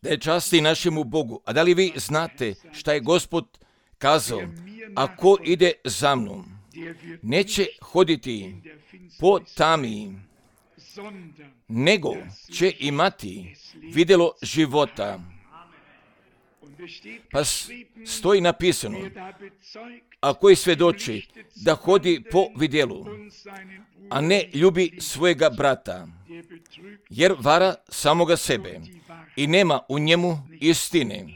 Da je časti našemu Bogu. A da li vi znate šta je Gospod kazao? Ako ide za mnom, neće hoditi po tami, nego će imati vidjelo života. Pa stoji napisano, a koji svjedoči da hodi po vidjelu, a ne ljubi svojega brata, jer vara samoga sebe i nema u njemu istine.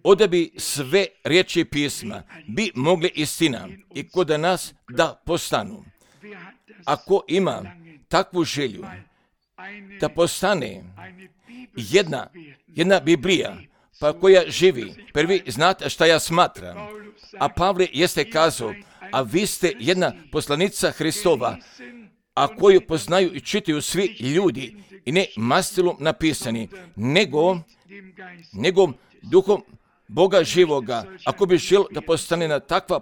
Oda bi sve riječi pisma bi mogle istina i kod nas da postanu. Ako ima takvu želju da postane jedna Biblija, pa koja živi, prvi znate šta ja smatram. A Pavle jeste kazao, a vi ste jedna poslanica Hristova, a koju poznaju i čitaju svi ljudi, i ne mastilom napisani, nego duhom Boga živoga. Ako bi želio da postane na takva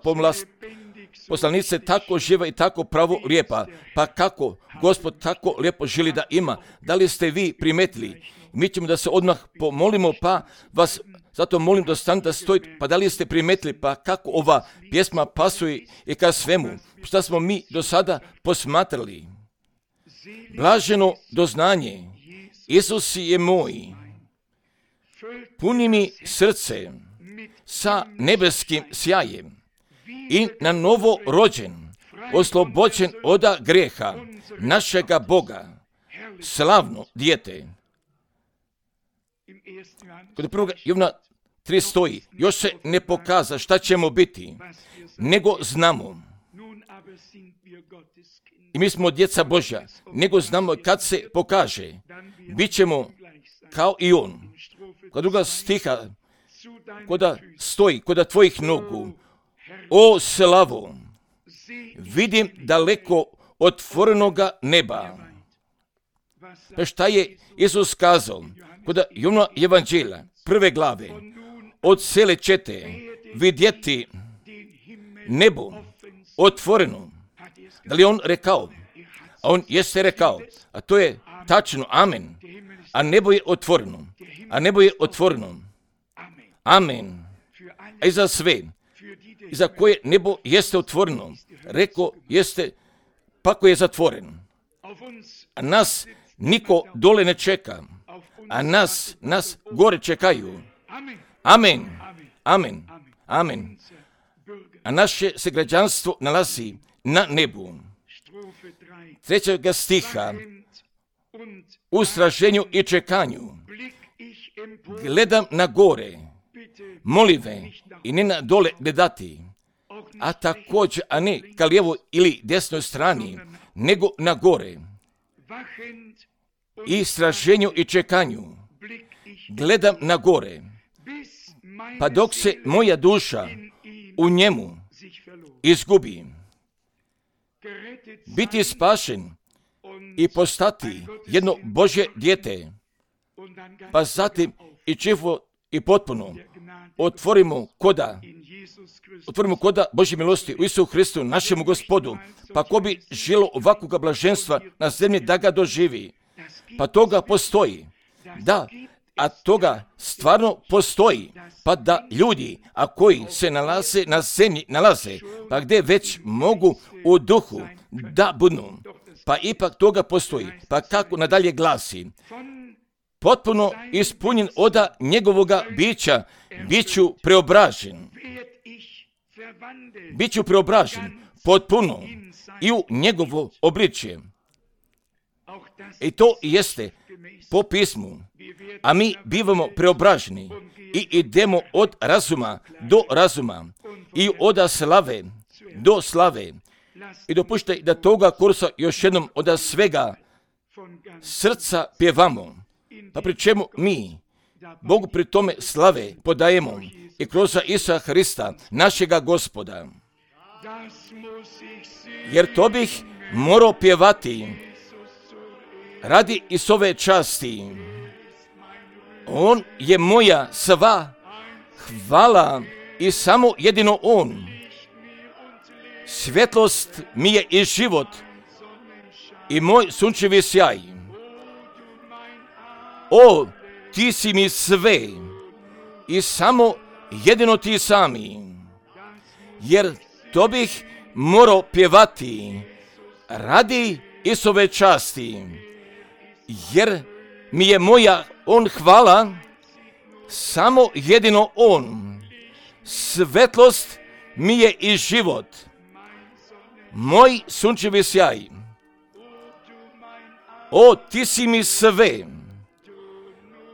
poslanice tako živa i tako pravo lijepa, pa kako Gospod tako lijepo želi da ima, da li ste vi primetili? Mi ćemo da se odmah pomolimo, pa vas zato molim da stanete, da stojite, pa da li ste primetili, pa kako ova pjesma pasuje i ka svemu, šta smo mi do sada posmatrali. Blaženo doznanje, Isus je moj, puni mi srce sa nebeskim sjajem i na novo rođen, oslobođen od greha našega Boga, slavno dijete. Kod 1. Jovana 3 stoji, još se ne pokaza šta ćemo biti, nego znamo. I mi smo djeca Božja, nego znamo kad se pokaže, bit ćemo kao i on. Kod druga stiha, koda stoji, koda tvojih nogu, o slavo, vidim daleko otvorenoga neba. Pa šta je Isus kazao? Kod Jovana Evanđelja, 1. glave, od sele ćete vidjeti nebo otvoreno. Da li on rekao? A on jeste rekao, a to je tačno, amen. A nebo je otvoreno. A nebo je otvoreno. Amen. A i za sve, i za koje nebo jeste otvoreno, rekao jeste, pako je zatvoren. A nas niko dole ne čeka. A nas gore čekaju. Amen. Amen. Amen. A naše se građanstvo nalazi na nebu. 3. stiha, u straženju i čekanju gledam na gore, molive i ne na dole gledati, a također, a ne ka lijevoj ili desnoj strani, nego na gore. I straženju i čekanju gledam na gore, pa dok se moja duša u njemu izgubi. Biti spašen i postati jedno Božje dijete, pa zatim i čivo i potpuno otvorimo koda Božje milosti u Isusu Hristu, našemu Gospodu. Pa ko bi želio ovakvog blaženstva na zemlji da ga doživi, pa toga postoji. Da, a toga stvarno postoji, pa da ljudi, a koji se nalaze na zemlji, pa gdje već mogu u duhu da budu, pa ipak toga postoji. Pa kako nadalje glasi? Potpuno ispunjen od njegovoga bića, bit ću preobražen potpuno i u njegovo obličje. I to jeste po pismu, a mi bivamo preobraženi i idemo od razuma do razuma i od slave do slave. I dopuštaj da toga kursa još jednom od svega srca pjevamo, pa pri čemu mi Bogu pri tome slave podajemo i kroz Isusa Hrista, našega Gospoda. Jer to bih morao pjevati radi Isove časti. On je moja sva hvala i samo jedino on. Svjetlost mi je i život i moj sunčevi sjaj. O, ti si mi sve i samo jedino ti sami, jer to bih morao pjevati radi Isove časti, jer mi je moja on hvala, samo jedino on, svetlost mi je i život, moj sunčevi sjaj. O, ti si mi sve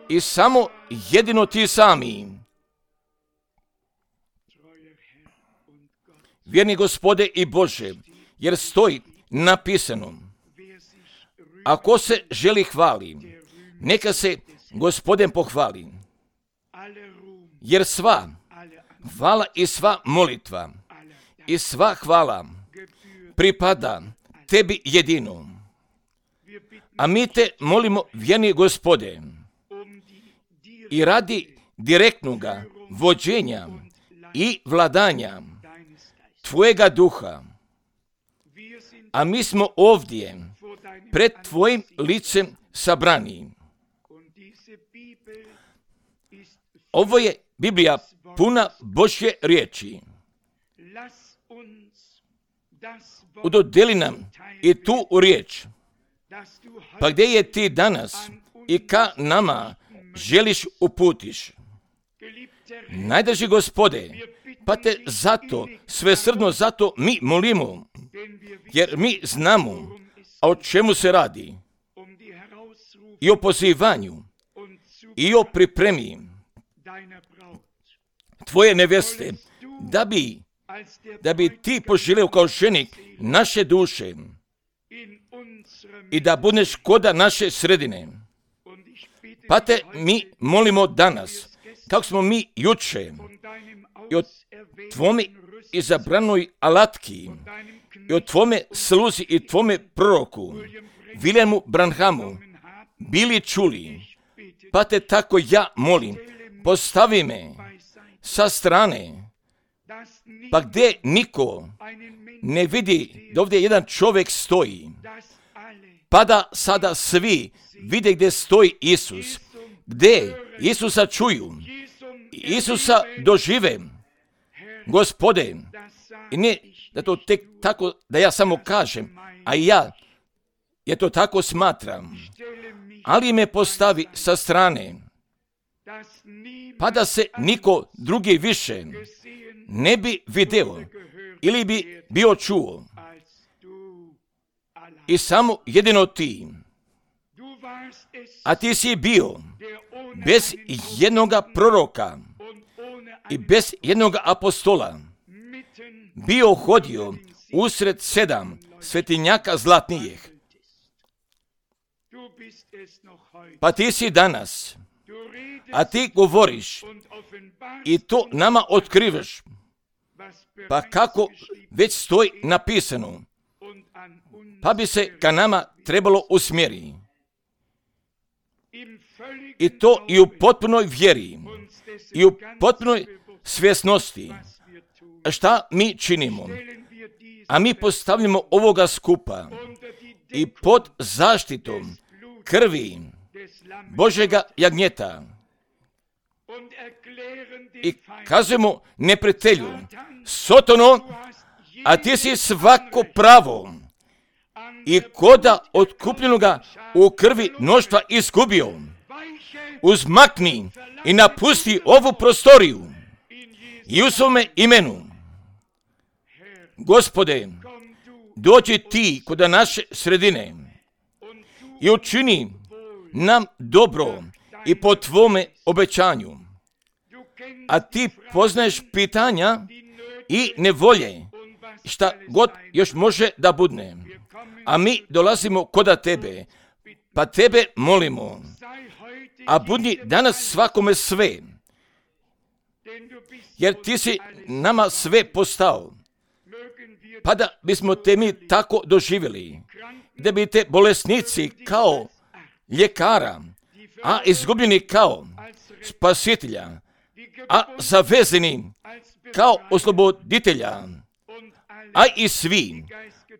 i samo jedino ti sami. Vjerni Gospode i Bože, jer stoji napisano, ako se želi hvali, neka se Gospodin pohvali, jer sva hvala i sva molitva i sva hvala pripada tebi jedino. A mi te molimo, vjerni Gospode, i radi direktnoga vođenja i vladanja tvojega duha. A mi smo ovdje pred tvojim licem sabrani. Ovo je Biblija puna Božje riječi. Udodeli nam i tu riječ. Pa gdje je ti danas i ka nama želiš uputiš? Najdraži Gospode, pa te zato, svesrdno zato mi molimo, jer mi znamo o čemu se radi, i o pozivanju, i o pripremi tvoje neveste, da bi ti poželio kao ženik naše duše i da budeš koda naše sredine. Pa te mi molimo danas, kako smo mi juče i o tvome izabranoj alatki i o tvome sluzi i tvome proroku Viljemu Branhamu bili čuli, pa te tako ja molim, postavi me sa strane, pa gdje niko ne vidi da ovdje jedan čovjek stoji, pa da sada svi vide gdje stoji Isus, gdje Isusa čuju, Isusa dožive, Gospode, i ne da to tek tako da ja samo kažem, a ja to tako smatram, ali me postavi sa strane, pa da se niko drugi više ne bi video ili bi bio čuo, i samo jedino ti. A ti si bio bez jednoga proroka i bez jednoga apostola, bio hodio usred 7 svetinjaka zlatnijih. Pa ti si danas, a ti govoriš i to nama otkrivaš, pa kako već stoji napisano, pa bi se ka nama trebalo usmjeriti. I to i u potpunoj vjeri, i u potpunoj svjesnosti, šta mi činimo. A mi postavljamo ovoga skupa i pod zaštitom krvi Božega jagnjeta i kazujemo neprijatelju, Sotono, a ti si svako pravo i koda otkupljenoga u krvi mnoštva izgubio. Uzmakni i napusti ovu prostoriju i u svome imenu. Gospode, dođi ti kod naše sredine i učini nam dobro i po tvome obećanju. A ti poznaješ pitanja i nevolje, šta god još može da budne. A mi dolazimo koda tebe, pa tebe molimo, a budi danas svakome sve, jer ti si nama sve postao, pa da bismo te mi tako doživjeli, da bi te bolesnici kao ljekara, a izgubljeni kao spasitelja, a zavezeni kao osloboditelja, a i svi,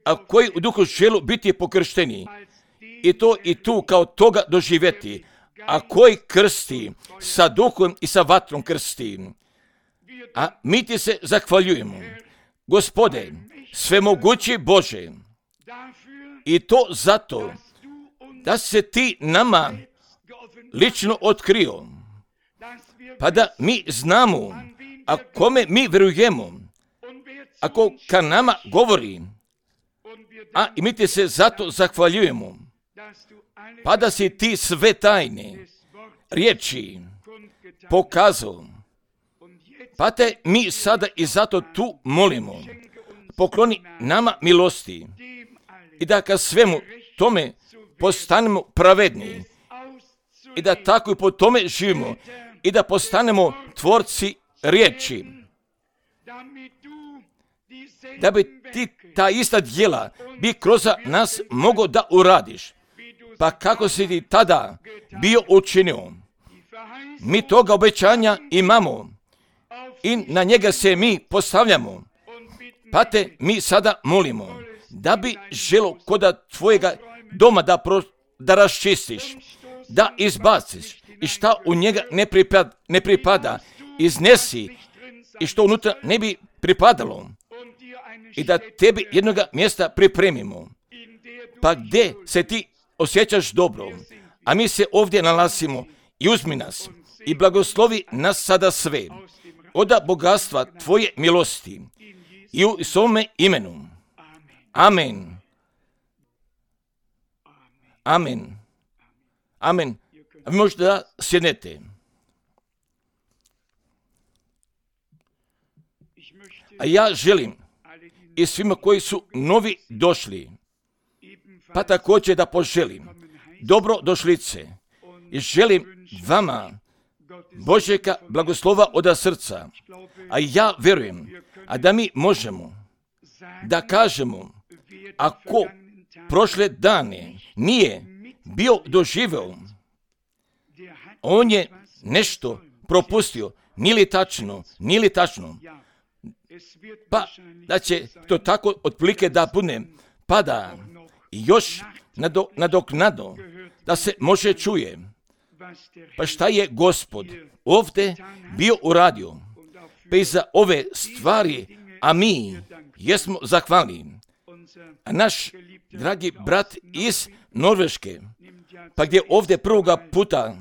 a koji u duhu želu biti pokršteni, i to i tu kao toga doživjeti, a koji krsti sa duhom i sa vatrom krsti. A mi ti se zahvaljujemo, Gospode, svemogući Bože, i to zato da se ti nama lično otkrio, pa da mi znamo, a kome mi vjerujemo, ako ka nama govori, a i mi ti se zato zahvaljujemo, pa da si ti sve tajne riječi pokazao, pa te mi sada i zato tu molimo, pokloni nama milosti i da ka svemu tome postanemo pravedni i da tako i po tome živimo i da postanemo tvorci riječi, da bi ti ta ista djela bi kroz nas mogao da uradiš. Pa kako si ti tada bio učinio? Mi toga obećanja imamo i na njega se mi postavljamo. Pa te mi sada molimo da bi želo koda tvojega doma da raščistiš, da izbaciš i šta u njega ne pripada, iznesi i što unutra ne bi pripadalo i da tebi jednoga mjesta pripremimo. Pa gdje se ti osjećaš dobro, a mi se ovdje nalazimo, i uzmi nas i blagoslovi nas sada sve od bogatstva tvoje milosti i u svome imenu. Amen. Amen. Amen. Vi možete da sjednete. A ja želim i svima koji su novi došli, pa također da poželim dobro došlice i želim vama Božjega blagoslova od srca. A ja vjerujem, a da mi možemo da kažemo, ako prošle dane nije bio doživeo, on je nešto propustio, nije li tačno, pa da će to tako otprilike da bude, pa da još nadoknadno da se može čuje, pa šta je Gospod ovdje bio uradio, pa i za ove stvari, a mi jesmo zahvalni. A naš dragi brat iz Norveške, pa gdje ovdje prvoga puta,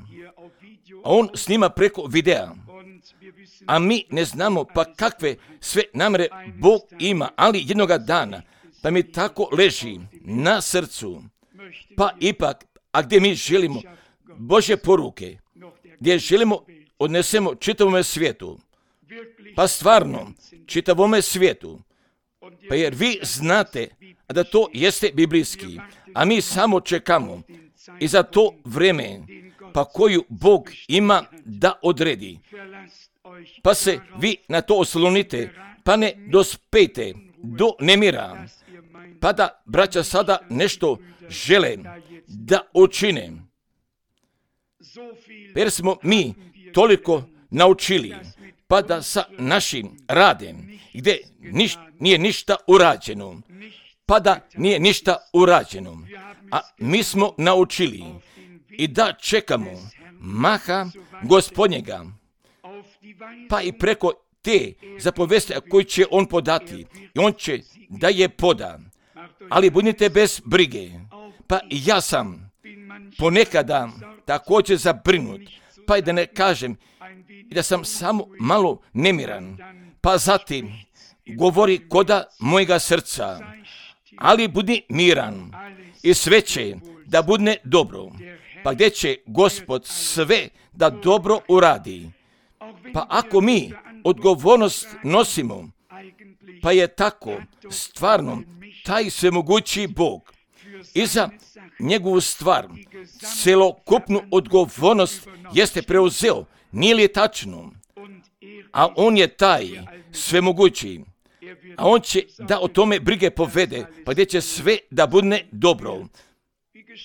a on snima preko videa, a mi ne znamo pa kakve sve namere Bog ima, ali jednoga dana, pa mi tako leži na srcu, pa ipak, a gdje mi želimo Božje poruke, gdje želimo odnesemo čitavome svijetu, pa stvarno čitavome svijetu, pa jer vi znate da to jeste biblijski, a mi samo čekamo i za to vrijeme, pa koju Bog ima da odredi. Pa se vi na to oslonite, pa ne dospete do nemira, pa da braća sada nešto žele da učine. Jer smo mi toliko naučili, pa da sa našim radem, gdje nije ništa urađeno, pa da nije ništa urađeno, a mi smo naučili i da čekamo maha Gospodnjega, pa i preko te zapovesti koji će on podati, i on će da je poda. Ali budite bez brige, pa i ja sam ponekada također zabrinut, pa i da ne kažem da sam samo malo nemiran, pa zatim govori koda mojega srca, ali budi miran i sve će da bude dobro, pa gdje će Gospod sve da dobro uradi. Pa ako mi odgovornost nosimo, pa je tako stvarno taj svemogući Bog i za njegovu stvar celokupnu odgovornost jeste preuzeo, nije li tačno? A on je taj svemogući, a on će da o tome brige povede, pa gdje će sve da bude dobro.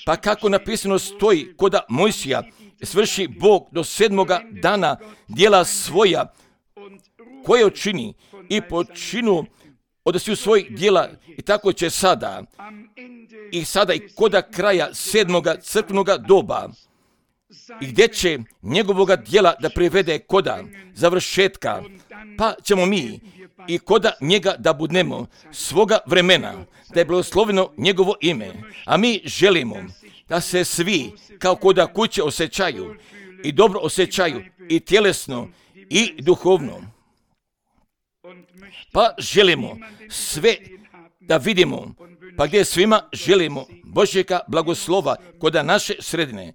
Pa kako napisano stoji koda Mojsija, svrši Bog do 7. dana djela svoja koje učini i počinu od svih svojih djela, i tako će sada i koda kraja 7. crkvenoga doba i gdje će njegovoga djela da privede koda završetka, pa ćemo mi i koda njega da budemo svoga vremena, da je blagosloveno njegovo ime. A mi želimo da se svi kao koda kuće osjećaju i dobro osjećaju i tjelesno i duhovno. Pa želimo sve da vidimo, pa gdje svima želimo Božjega blagoslova koda naše sredine.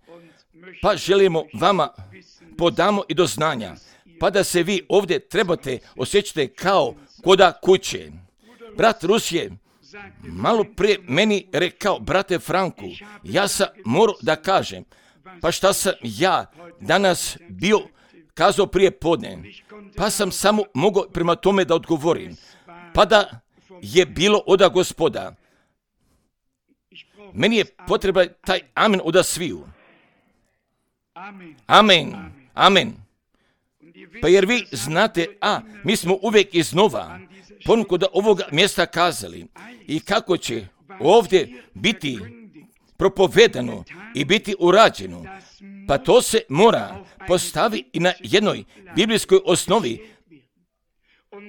Pa želimo vama podamo i do znanja, pa da se vi ovdje trebate osjećati kao koda kuće. Brat Rus je malo prije meni rekao, brate Franku, ja sam morao da kažem, pa šta sam ja danas bio kazao prije podne, pa sam samo mogao prema tome da odgovorim, pa da je bilo oda Gospoda. Meni je potreban taj amen oda sviju. Amen, amen. Pa jer vi znate, mi smo uvijek iznova ponuku da ovoga mjesta kazali i kako će ovdje biti propovedano i biti urađeno, pa to se mora postaviti i na jednoj biblijskoj osnovi.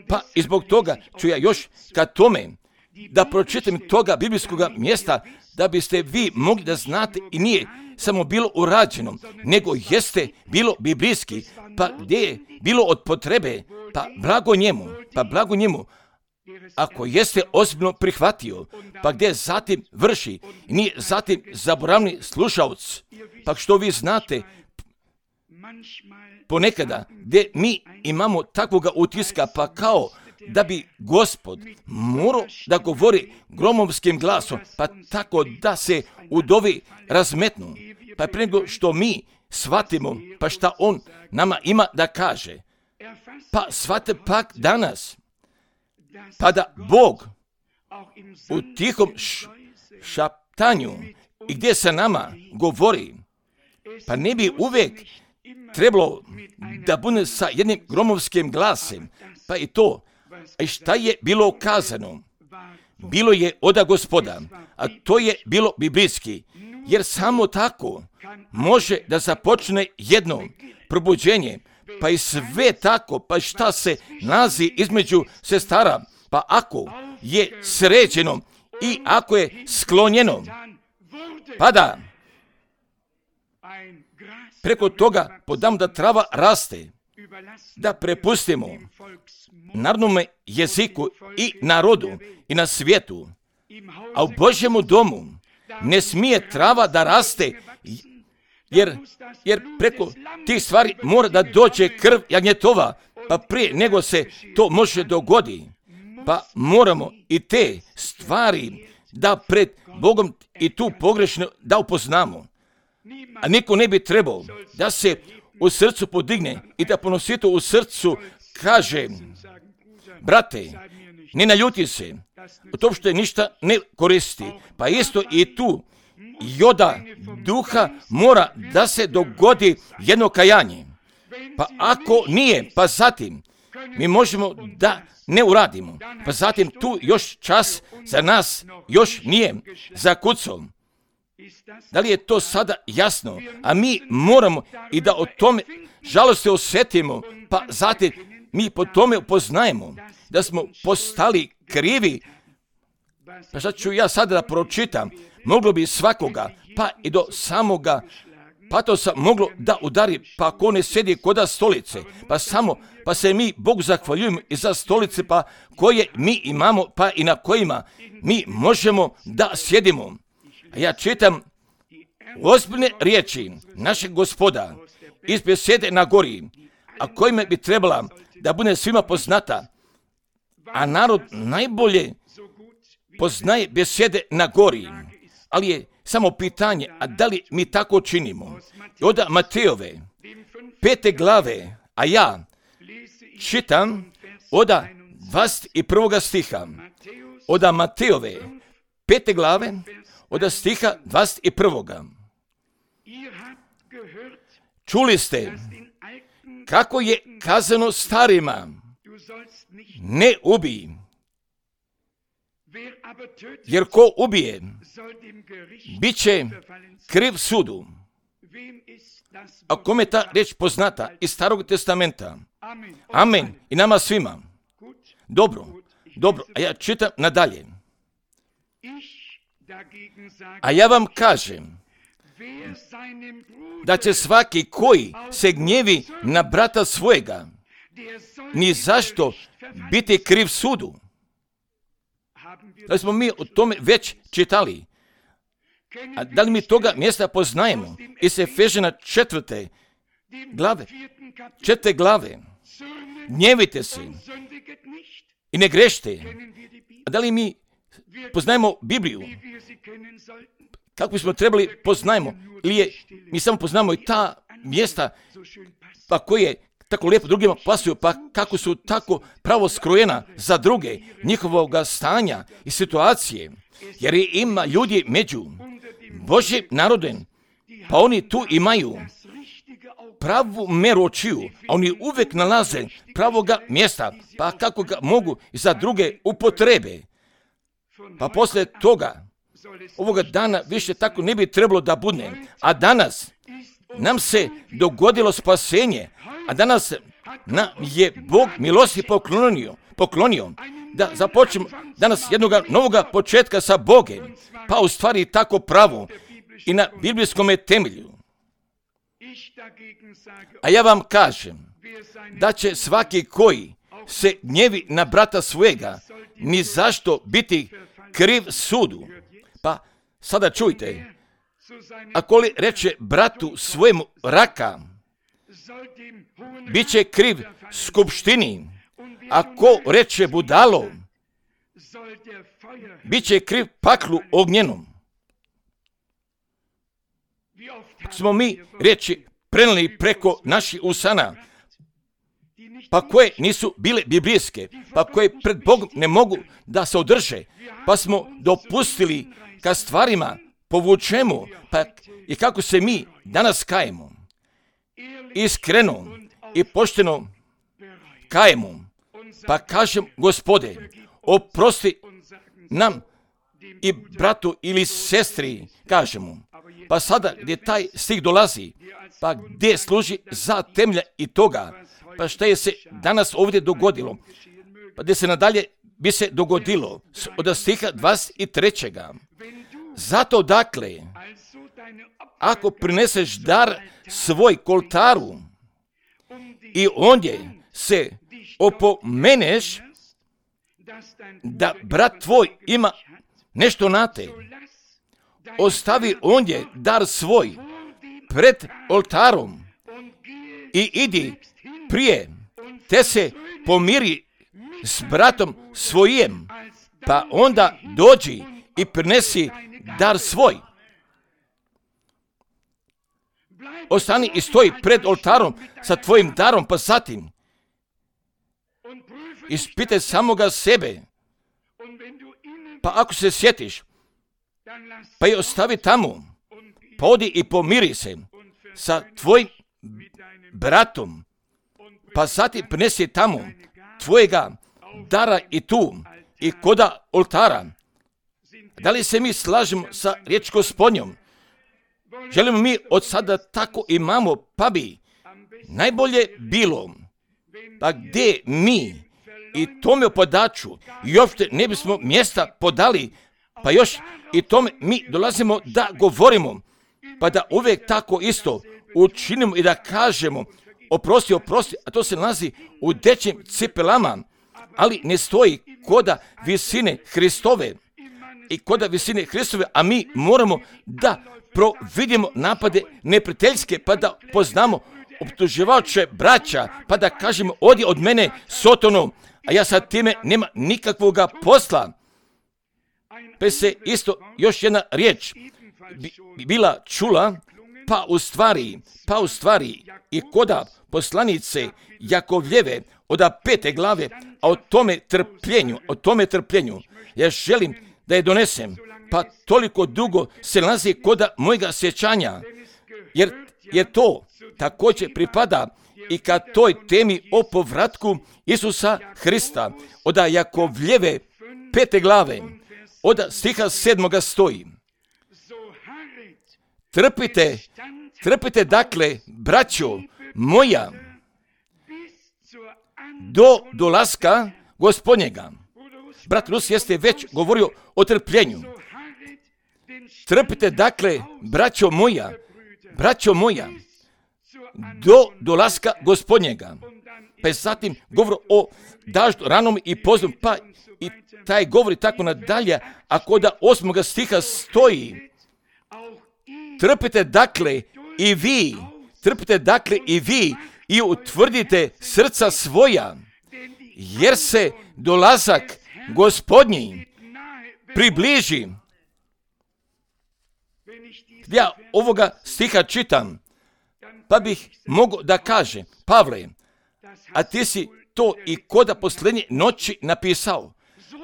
Pa i zbog toga ću ja još kad tome da pročitam toga biblijskog mjesta, da biste vi mogli da znate i nije samo bilo urađeno, nego jeste bilo biblijski, pa gdje je bilo od potrebe, pa blago njemu, ako jeste ozbiljno prihvatio, pa gdje zatim vrši, nije zatim zaboravni slušalac, pa što vi znate, ponekada gdje mi imamo takvoga utiska, pa kao da bi Gospod morao da govori gromovskim glasom, pa tako da se udovi razmetnu, pa prije nego što mi shvatimo, pa šta on nama ima da kaže, pa shvate pak danas, pa da Bog u tihom šaptanju i gdje sa nama govori, pa ne bi uvijek trebalo da bude sa jednim gromovskim glasem, pa i to, a šta je bilo ukazano? Bilo je oda Gospoda, a to je bilo biblijski, jer samo tako može da započne jedno probuđenje, pa i sve tako, pa šta se nalazi između sestara, pa ako je sređeno i ako je sklonjeno, pa da preko toga podam da trava raste, da prepustimo narodnome jeziku i narodu i na svijetu, a u Božjemu domu ne smije trava da raste, jer preko tih stvari mora da dođe krv jagnjetova, pa prije nego se to može dogodi, pa moramo i te stvari da pred Bogom i tu pogrešno da upoznamo. A niko ne bi trebao da se u srcu podigne i da ponosito u srcu kaže, brate, ne naljuti se, u tom što je ništa ne koristi, pa isto i tu joda duha mora da se dogodi jedno kajanje. Pa ako nije, pa zatim mi možemo da ne uradimo, pa zatim tu još čas za nas još nije zakucao. Da li je to sada jasno? A mi moramo i da o tome žalosti osjetimo, pa zatim mi po tome upoznajemo da smo postali krivi. Pa sad ću ja sada da pročitam, moglo bi svakoga, pa i do samoga patosa moglo da udari, pa ako ne sjedi koda stolice, pa se mi Bogu zahvaljujemo i za stolice, pa koje mi imamo, pa i na kojima mi možemo da sjedimo. A ja čitam ozbiljne riječi našeg Gospoda iz besede na gori, a kojima bi trebala da bude svima poznata, a narod najbolje poznaje besede na gori, ali je samo pitanje, a da li mi tako činimo? I od Matejove 5. glave, a ja čitam od 21. stiha, od Matejove 5. glave, od stiha 21. Čuli ste kako je kazano starima, ne ubij, jer ko ubije, bit će kriv sudu. a kome ta riječ poznata iz Starog testamenta. Amen. I nama svima. Dobro. A ja čitam nadalje. A ja vam kažem da će svaki koji se gnjevi na brata svojega ni zašto biti kriv sudu. Da smo mi o tome već čitali. A da li mi toga mjesta poznajemo? Iz Efežana 4. glave. Gnjevite se i ne grešite. A da li mi poznajemo Bibliju? Kako bismo trebali poznajemo? Ili mi samo poznajemo i ta mjesta pa koje tako lijepo drugima pasuju, pa kako su tako pravo skrojena za druge, njihovoga stanja i situacije. Jer ima ljudi među Božjim narodom, pa oni tu imaju pravu meru očiju, a oni uvijek nalaze pravoga mjesta, pa kako ga mogu i za druge upotrebe. Pa poslije toga, ovoga dana više tako ne bi trebalo da bude, a danas nam se dogodilo spasenje, a danas nam je Bog milosti poklonio da započnemo danas jednog novoga početka sa Bogom, pa u stvari tako pravo i na biblijskom temelju. A ja vam kažem da će svaki koji se gnjevi na brata svojega ni zašto biti kriv sudu. Pa sada čujte, ako li reče bratu svojemu raka, bit će kriv skupštini. Ako reče budalo, bit će kriv paklu ognjenom. Smo mi riječi prenijeli preko naših usana, pa koje nisu bile biblijske, pa koje pred Bogom ne mogu da se održe, pa smo dopustili ka stvarima povučemo, pa i kako se mi danas kajemo. Iskreno i pošteno kajemo, pa kažem, Gospode, oprosti nam i bratu ili sestri, kažemo. Pa sada gdje taj stih dolazi, pa gdje služi za temelja i toga, pa što je se danas ovdje dogodilo, pa gdje se nadalje bi se dogodilo od stiha 23. Zato dakle, ako prineseš dar svoj k oltaru i ondje se opomeneš da brat tvoj ima nešto na te, ostavi ondje dar svoj pred oltarom i idi prije, te se pomiri s bratom svojim, pa onda dođi i prinesi dar svoj. Ostani i stoji pred oltarom sa tvojim darom, pa zatim ispitaj samoga sebe, pa ako se sjetiš, pa je ostavi tamo, pa odi i pomiri se sa tvojim bratom, pa zatim prinesi tamo tvojega dara i tu i koda oltara. Da li se mi slažemo sa riječ Gospodnjom? Želimo mi od sada tako imamo, pa bi najbolje bilo, pa gdje mi i tome podaču i uopšte ne bismo mjesta podali, pa još i tome mi dolazimo da govorimo, pa da uvijek tako isto učinimo i da kažemo oprosti, a to se nalazi u dečjim cipelama, ali ne stoji koda visine Hristove i koda visine Hristove, a mi moramo da providimo napade neprijateljske, pa da poznamo optuživače braća, pa da kažemo odi od mene Sotonu, a ja sa time nema nikakvoga posla. Pa se isto još jedna riječ bila čula, pa u stvari i koda poslanice Jakovljeve od 5. glave, a o tome trpljenju, ja želim da je donesem, pa toliko dugo se nalazi koda mojega sjećanja, jer to također pripada i ka toj temi o povratku Isusa Hrista. Od Jakovljeve 5. glave, od stiha 7. stoji: trpite Trpite dakle, braćo moja, do dolaska Gospodnjega. Brat Rus jeste već govorio o trpljenju. Trpite dakle, braćo moja, do dolaska Gospodnjega. Pa je zatim govor o daždu ranom i poznom, pa i taj govori tako nadalje, a kod 8. stiha stoji: trpite dakle i vi i utvrdite srca svoja, jer se dolazak Gospodnji približi. Ja ovoga stiha čitam, pa bih mogao da kaže: Pavle, a ti si to i koda posljednje noći napisao,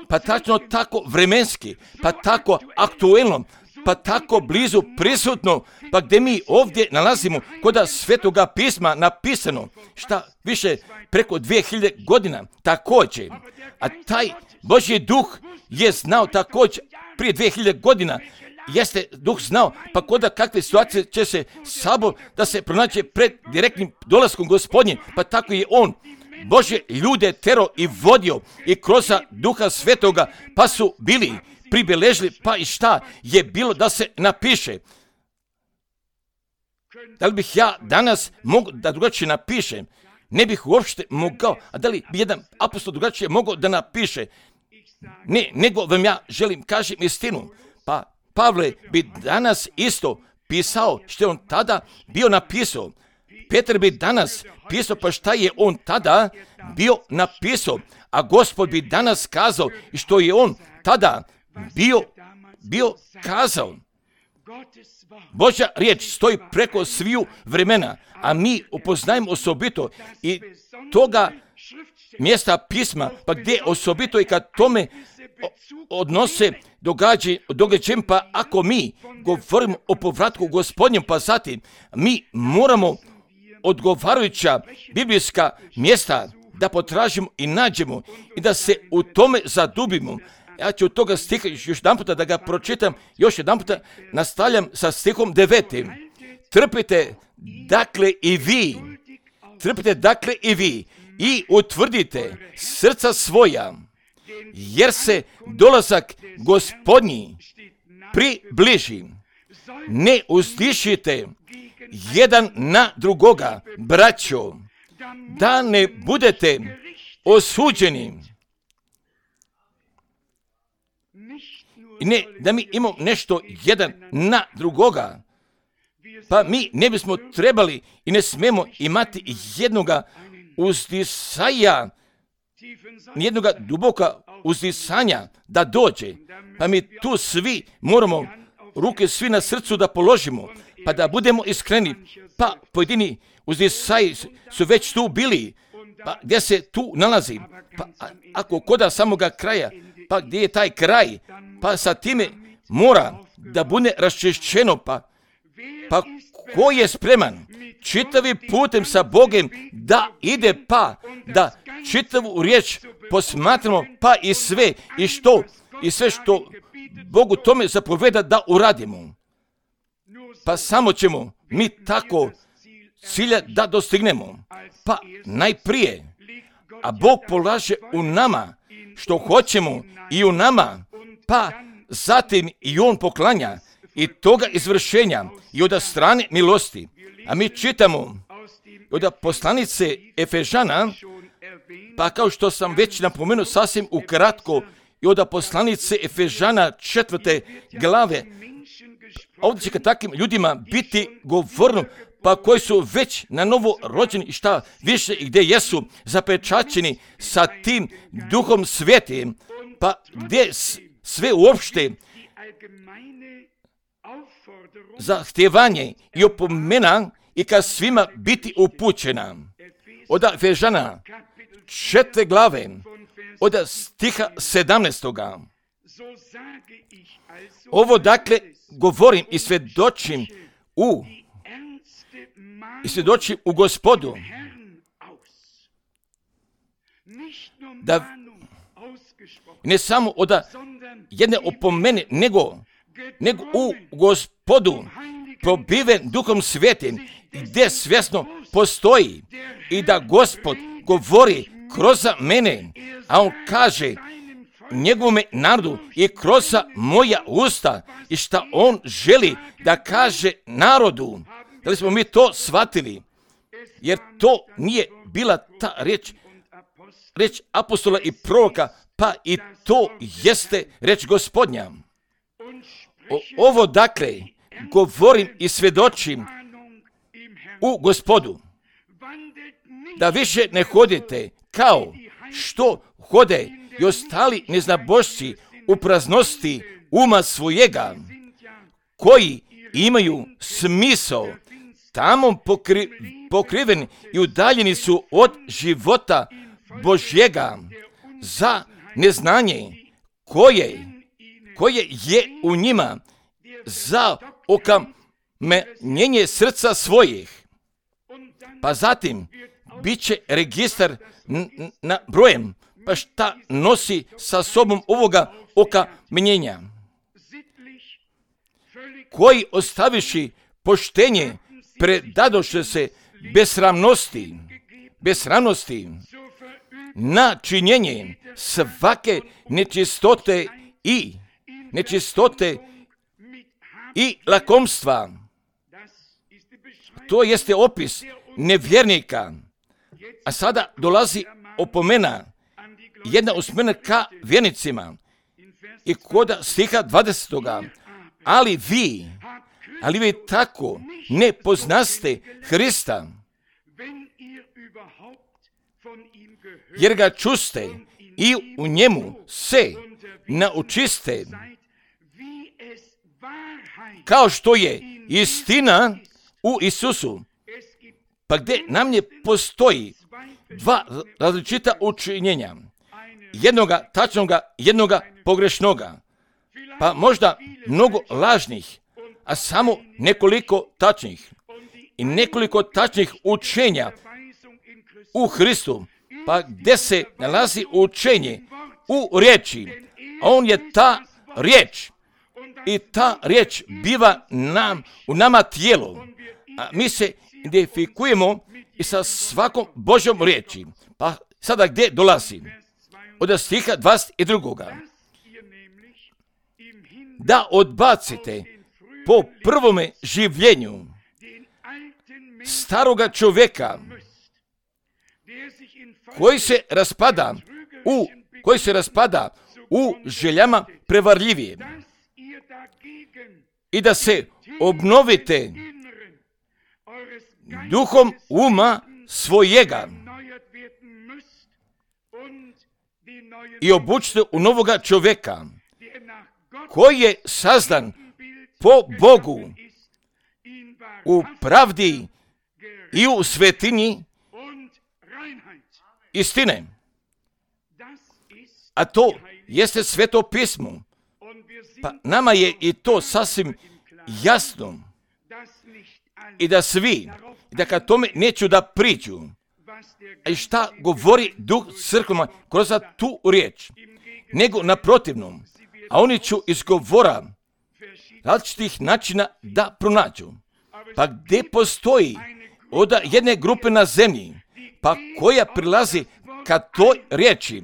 pa tačno tako vremenski, pa tako aktuelno, pa tako blizu prisutno, pa gdje mi ovdje nalazimo koda Svetoga pisma napisano, šta više preko 2000 godina također. A taj Božji duh je znao također prije 2000 godina, jeste duh znao, pa koda kakve situacije će se Sabor da se pronađe pred direktnim dolaskom Gospodnje, pa tako je on Božje ljude tero i vodio i kroz Duha Svetoga, pa su bili pribeležili, pa i šta je bilo da se napiše. Da li bih ja danas mogao da drugačije napišem? Ne bih uopšte mogao. A da li bi jedan apostol drugačije mogao da napiše? Ne, nego vam ja želim kažem istinu. Pa Pavle bi danas isto pisao što je on tada bio napisao. Petar bi danas pisao pa šta je on tada bio napisao. A Gospod bi danas kazao što je on tada bio kazao. Božja riječ stoji preko sviju vremena, a mi upoznajemo osobito i toga mjesta pisma, pa gdje osobito i kad tome odnose događajem, pa ako mi govorimo o povratku Gospodnjem, pa zatim mi moramo odgovarajuća biblijska mjesta da potražimo i nađemo i da se u tome zadubimo. Ja ću od toga stiha još jedan puta da ga pročitam, još jedan puta nastavljam sa stihom 9. Trpite dakle i vi i utvrdite srca svoja, jer se dolazak Gospodnji približi. Ne uzdišite jedan na drugoga, braćo, da ne budete osuđeni. I ne da mi imamo nešto jedan na drugoga, pa mi ne bismo trebali i ne smemo imati jednoga uzdisaja, jednoga duboka uzdisanja da dođe, pa mi tu svi moramo ruke svi na srcu da položimo, pa da budemo iskreni, pa pojedini uzdisaji su već tu bili, pa gdje se tu nalazi, pa ako koda samoga kraja, pa gdje je taj kraj, pa sa time mora da bude raščišćeno, pa ko je spreman čitavi putem sa Bogem da ide, pa da čitavu riječ posmatramo, pa i sve što Bogu tome zapoveda da uradimo. Pa samo ćemo mi tako cilja da dostignemo. Pa najprije, a Bog polaže u nama što hoćemo i u nama, pa zatim i on poklanja i toga izvršenja i od strane milosti. A mi čitamo od poslanice Efežana, pa kao što sam već napomenuo sasvim ukratko, i od poslanice Efežana 4. glave, ovdje će ka takvim ljudima biti govorno, pa koji su već na novo rođeni i šta više i gdje jesu zapečaćeni sa tim Duhom Svetim, pa gdje sve uopšte zahtjevanje i opomena i ka svima biti upućena. Od Efežana 4. glave, od stiha 17. Ovo dakle govorim i svjedočim u Gospodu, da ne samo od jedne opomene, nego u Gospodu, pobiven Duhom Svetim, gdje svjesno postoji i da Gospod govori kroz mene, a on kaže njegovome narodu i kroz moja usta i šta on želi da kaže narodu. Da li smo mi to shvatili? Jer to nije bila ta reč apostola i proroka, pa i to jeste reč Gospodnja. Ovo dakle govorim i svjedočim u Gospodu, da više ne hodite kao što hode i ostali neznabošci u praznosti uma svojega, koji imaju smisao tamo pokriveni i udaljeni su od života Božjega za neznanje koje je u njima, za okamenjenje srca svojih. Pa zatim bit će registar na brojem, pa šta nosi sa sobom ovoga okamenjenja, koji ostaviši poštenje predadoše se besramnosti na činjenje svake nečistote i lakomstva. To jeste opis nevjernika. A sada dolazi opomena, jedna usmjerena ka vjernicima i kod stiha 20. Ali vi tako ne poznaste Hrista, jer ga čuste i u njemu se naučiste, kao što je istina u Isusu. Pa gdje nam ne postoji dva različita učinjenja, jednoga tačnoga, jednoga pogrešnoga, pa možda mnogo lažnih, a samo nekoliko tačnih i nekoliko tačnih učenja u Hristu, pa gdje se nalazi učenje u riječi, a on je ta riječ i ta riječ biva u nama tijelo, a mi se identifikujemo i sa svakom Božjom riječi. Pa sada gdje dolazi? Od stiha 22. Da odbacite po prvome življenju staroga čovjeka koji se raspada u željama prevarljivije i da se obnovite duhom uma svojega i obučite u novoga čovjeka koji je sazdan po Bogu u pravdi i u svetinji istine. A to jeste Sveto pismo. Pa nama je i to sasvim jasno i da svi, da ka tome neću da priđu. A šta govori Duh crkvama kroz tu riječ? Nego naprotivnom, a oni ću iz govora različitih načina da pronađu. Pa gdje postoji od jedne grupe na zemlji, pa koja prilazi ka toj riječi,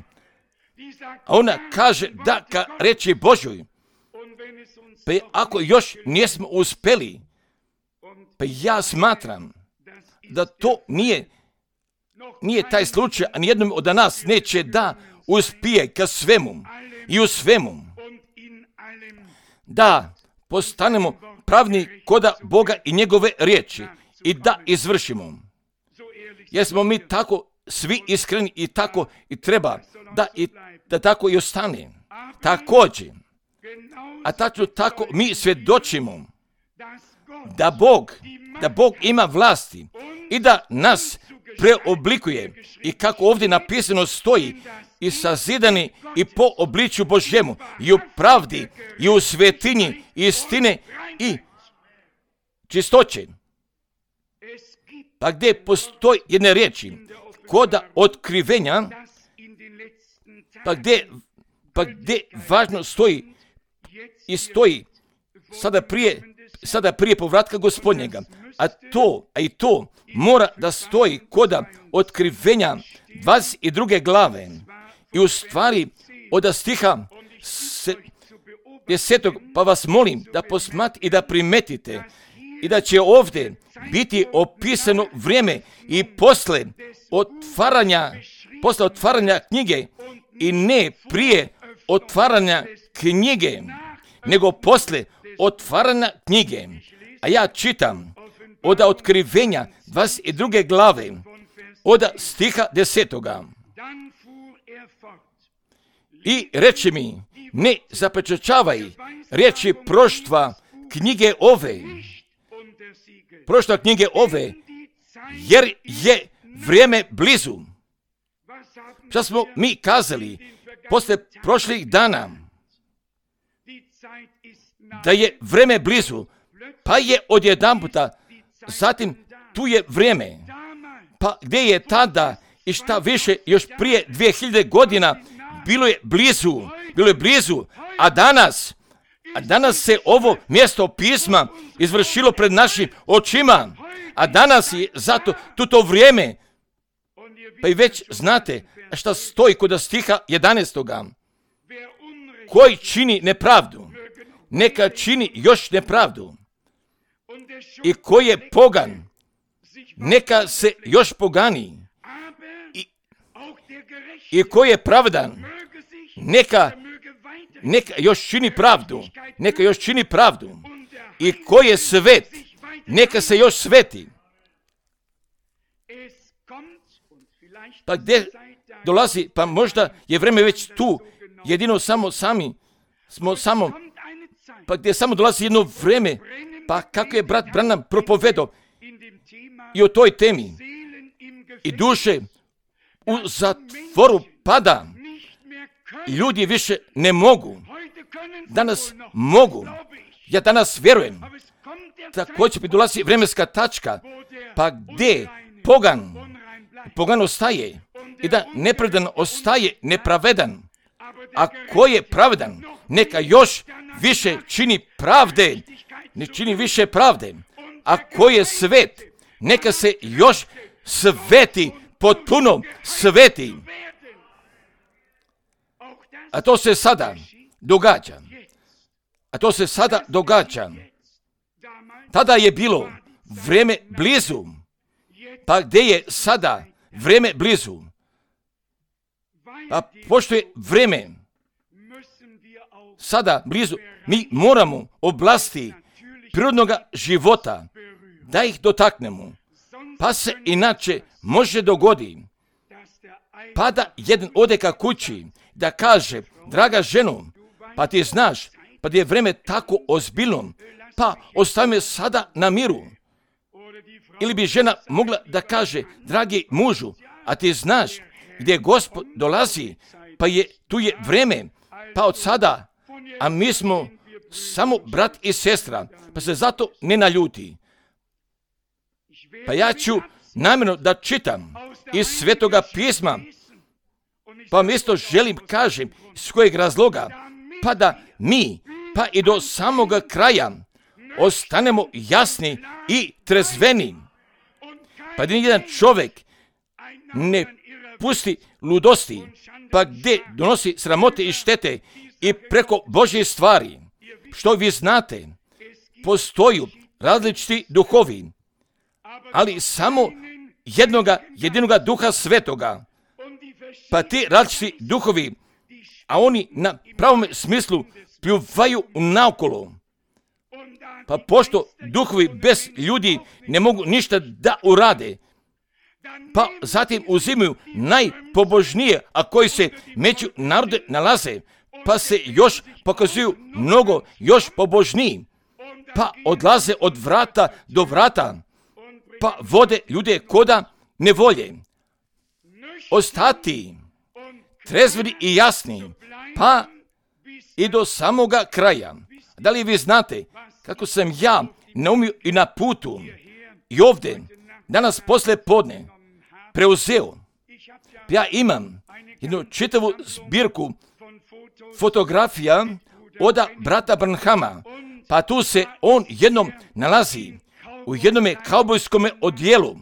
a ona kaže da ka riječi Božoj, pa ako još nismo uspjeli, pa ja smatram da to nije taj slučaj, a nijednom od nas neće da uspije ka svemu i u svemu, da postanemo pravni koda Boga i njegove riječi i da izvršimo. Jer smo mi tako svi iskreni i tako i treba da tako i ostane. Također, a tako mi svjedočimo da Bog ima vlasti i da nas preoblikuje i kako ovdje napisano stoji i sazidani i po obličju Božjemu i u pravdi i u svetinji istine i čistoće. Pa gdje postoji jedne riječi koda otkrivenja, pa gdje važno stoji i stoji sada prije sada prije povratka Gospodnjega. A i to mora da stoji koda otkrivenja 22. glave. I u stvari od stiha 10. pa vas molim da posmatrate i da primetite i da će ovdje biti opisano vrijeme i posle otvaranja knjige i ne prije otvaranja knjige, nego posle otvaranja knjige. A ja čitam od otkrivenja 22. glave, od stiha 10. I reče mi, ne zapečaćavaj riječi proštva knjige ove, jer je vrijeme blizu. Šta smo mi kazali posle prošlih dana? Da je vrijeme blizu, pa je odjedanputa, zatim tu je vrijeme. Pa gdje je tada i šta više još prije 2000 godina bilo je blizu, a danas se ovo mjesto pisma izvršilo pred našim očima, a danas je zato to vrijeme. Pa i već znate šta stoji kod stiha 11. Koji čini nepravdu, neka čini još nepravdu. I koji je pogan, neka se još pogani. I koji je pravdan, neka još čini pravdu. I koji je svet, neka se još sveti. Pa gdje dolazi, pa možda je vrijeme već tu, jedino pa gdje samo dolazi jedno vrijeme, pa kako je brat Branham propovedao i o toj temi. I duše u zatvoru pada. Ljudi više ne mogu. Danas mogu. Ja danas vjerujem. Također bi dolazi vremenska tačka, pa gdje pogan ostaje i da nepravedan ostaje nepravedan. A ko je pravedan, neka još više čini pravde, ne čini više pravde. A ko je svet, neka se još sveti, potpuno sveti. A to se sada događa. Tada je bilo vrijeme blizu. Pa gdje je sada vrijeme blizu? Pa pošto je vrijeme sada blizu, mi moramo oblasti prirodnog života da ih dotaknemo. Pa se inače može dogodi pa da jedan ode ka kući da kaže, draga ženo, pa ti znaš, pa da je vrijeme tako ozbiljno, pa ostavi me sada na miru. Ili bi žena mogla da kaže, dragi mužu, a ti znaš gdje Gospod dolazi, pa tu je vrijeme, pa od sada, a mi smo samo brat i sestra, pa se zato ne naljuti. Pa ja ću namjerno da čitam iz Svetoga pisma, pa mjesto želim kažem iz kojeg razloga, pa da mi, pa i do samoga kraja, ostanemo jasni i trezveni. Pa da nijedan čovjek ne pusti ludosti, pa gdje donosi sramote i štete i preko Božje stvari. Što vi znate, postoju različiti duhovi, ali samo jedinoga duha svetoga. Pa ti različiti duhovi, a oni na pravom smislu pljuvaju naokolo. Pa pošto duhovi bez ljudi ne mogu ništa da urade, pa zatim uzimaju najpobožnije, a koji se među narode nalaze, pa se još pokazuju mnogo još pobožniji, pa odlaze od vrata do vrata, pa vode ljude koda nevolje. Ostati trezveni i jasni, pa i do samoga kraja. Da li vi znate kako sam ja naumio i na putu i ovdje danas poslije podne preuzeo? Ja imam jednu čitavu zbirku fotografija od brata Branhama, Pa tu se on jednom nalazi u jednome kaubojskome odjelu,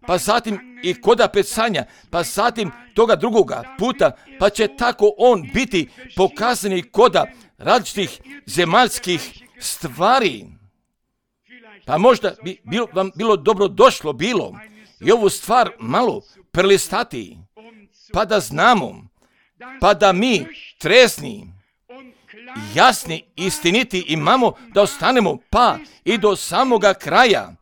pa zatim i koda pecanja, pa zatim toga drugoga puta, pa će tako on biti pokazani koda različitih zemaljskih stvari. Pa možda bi vam bilo dobro došlo bilo i ovu stvar malo prelistati, pa da znamo, pa da mi trezni, jasni, istiniti imamo, da ostanemo pa i do samoga kraja,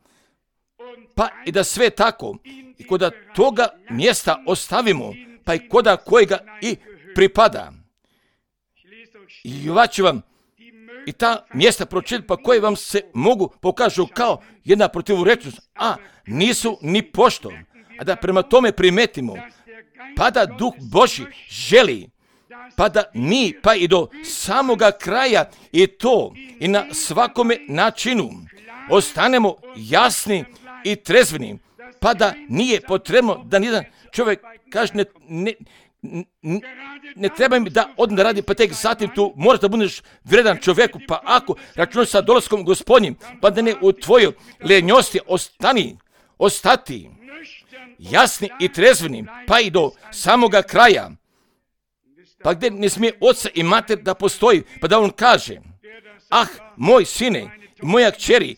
pa i da sve tako i koda toga mjesta ostavimo, pa i koda kojega i pripada. I ću vam i ta mjesta pročitati, pa koje vam se mogu pokažu kao jedna protivurečnost, a nisu ni pošto, a da prema tome primetimo, pa da Duh Božji želi, pa da mi, pa i do samoga kraja i to i na svakome načinu ostanemo jasni i trezveni, pa da nije potrebno da nijedan čovjek kaže ne treba mi da odem da radi, pa tek zatim tu moraš da budeš vredan čovjeku, pa ako računaš sa dolaskom Gospodnjim, pa da ne u tvojoj lenjosti ostati jasni i trezveni, pa i do samoga kraja, pa gdje ne smije oca i mater da postoji, pa da on kaže, moj sine, moja kćeri,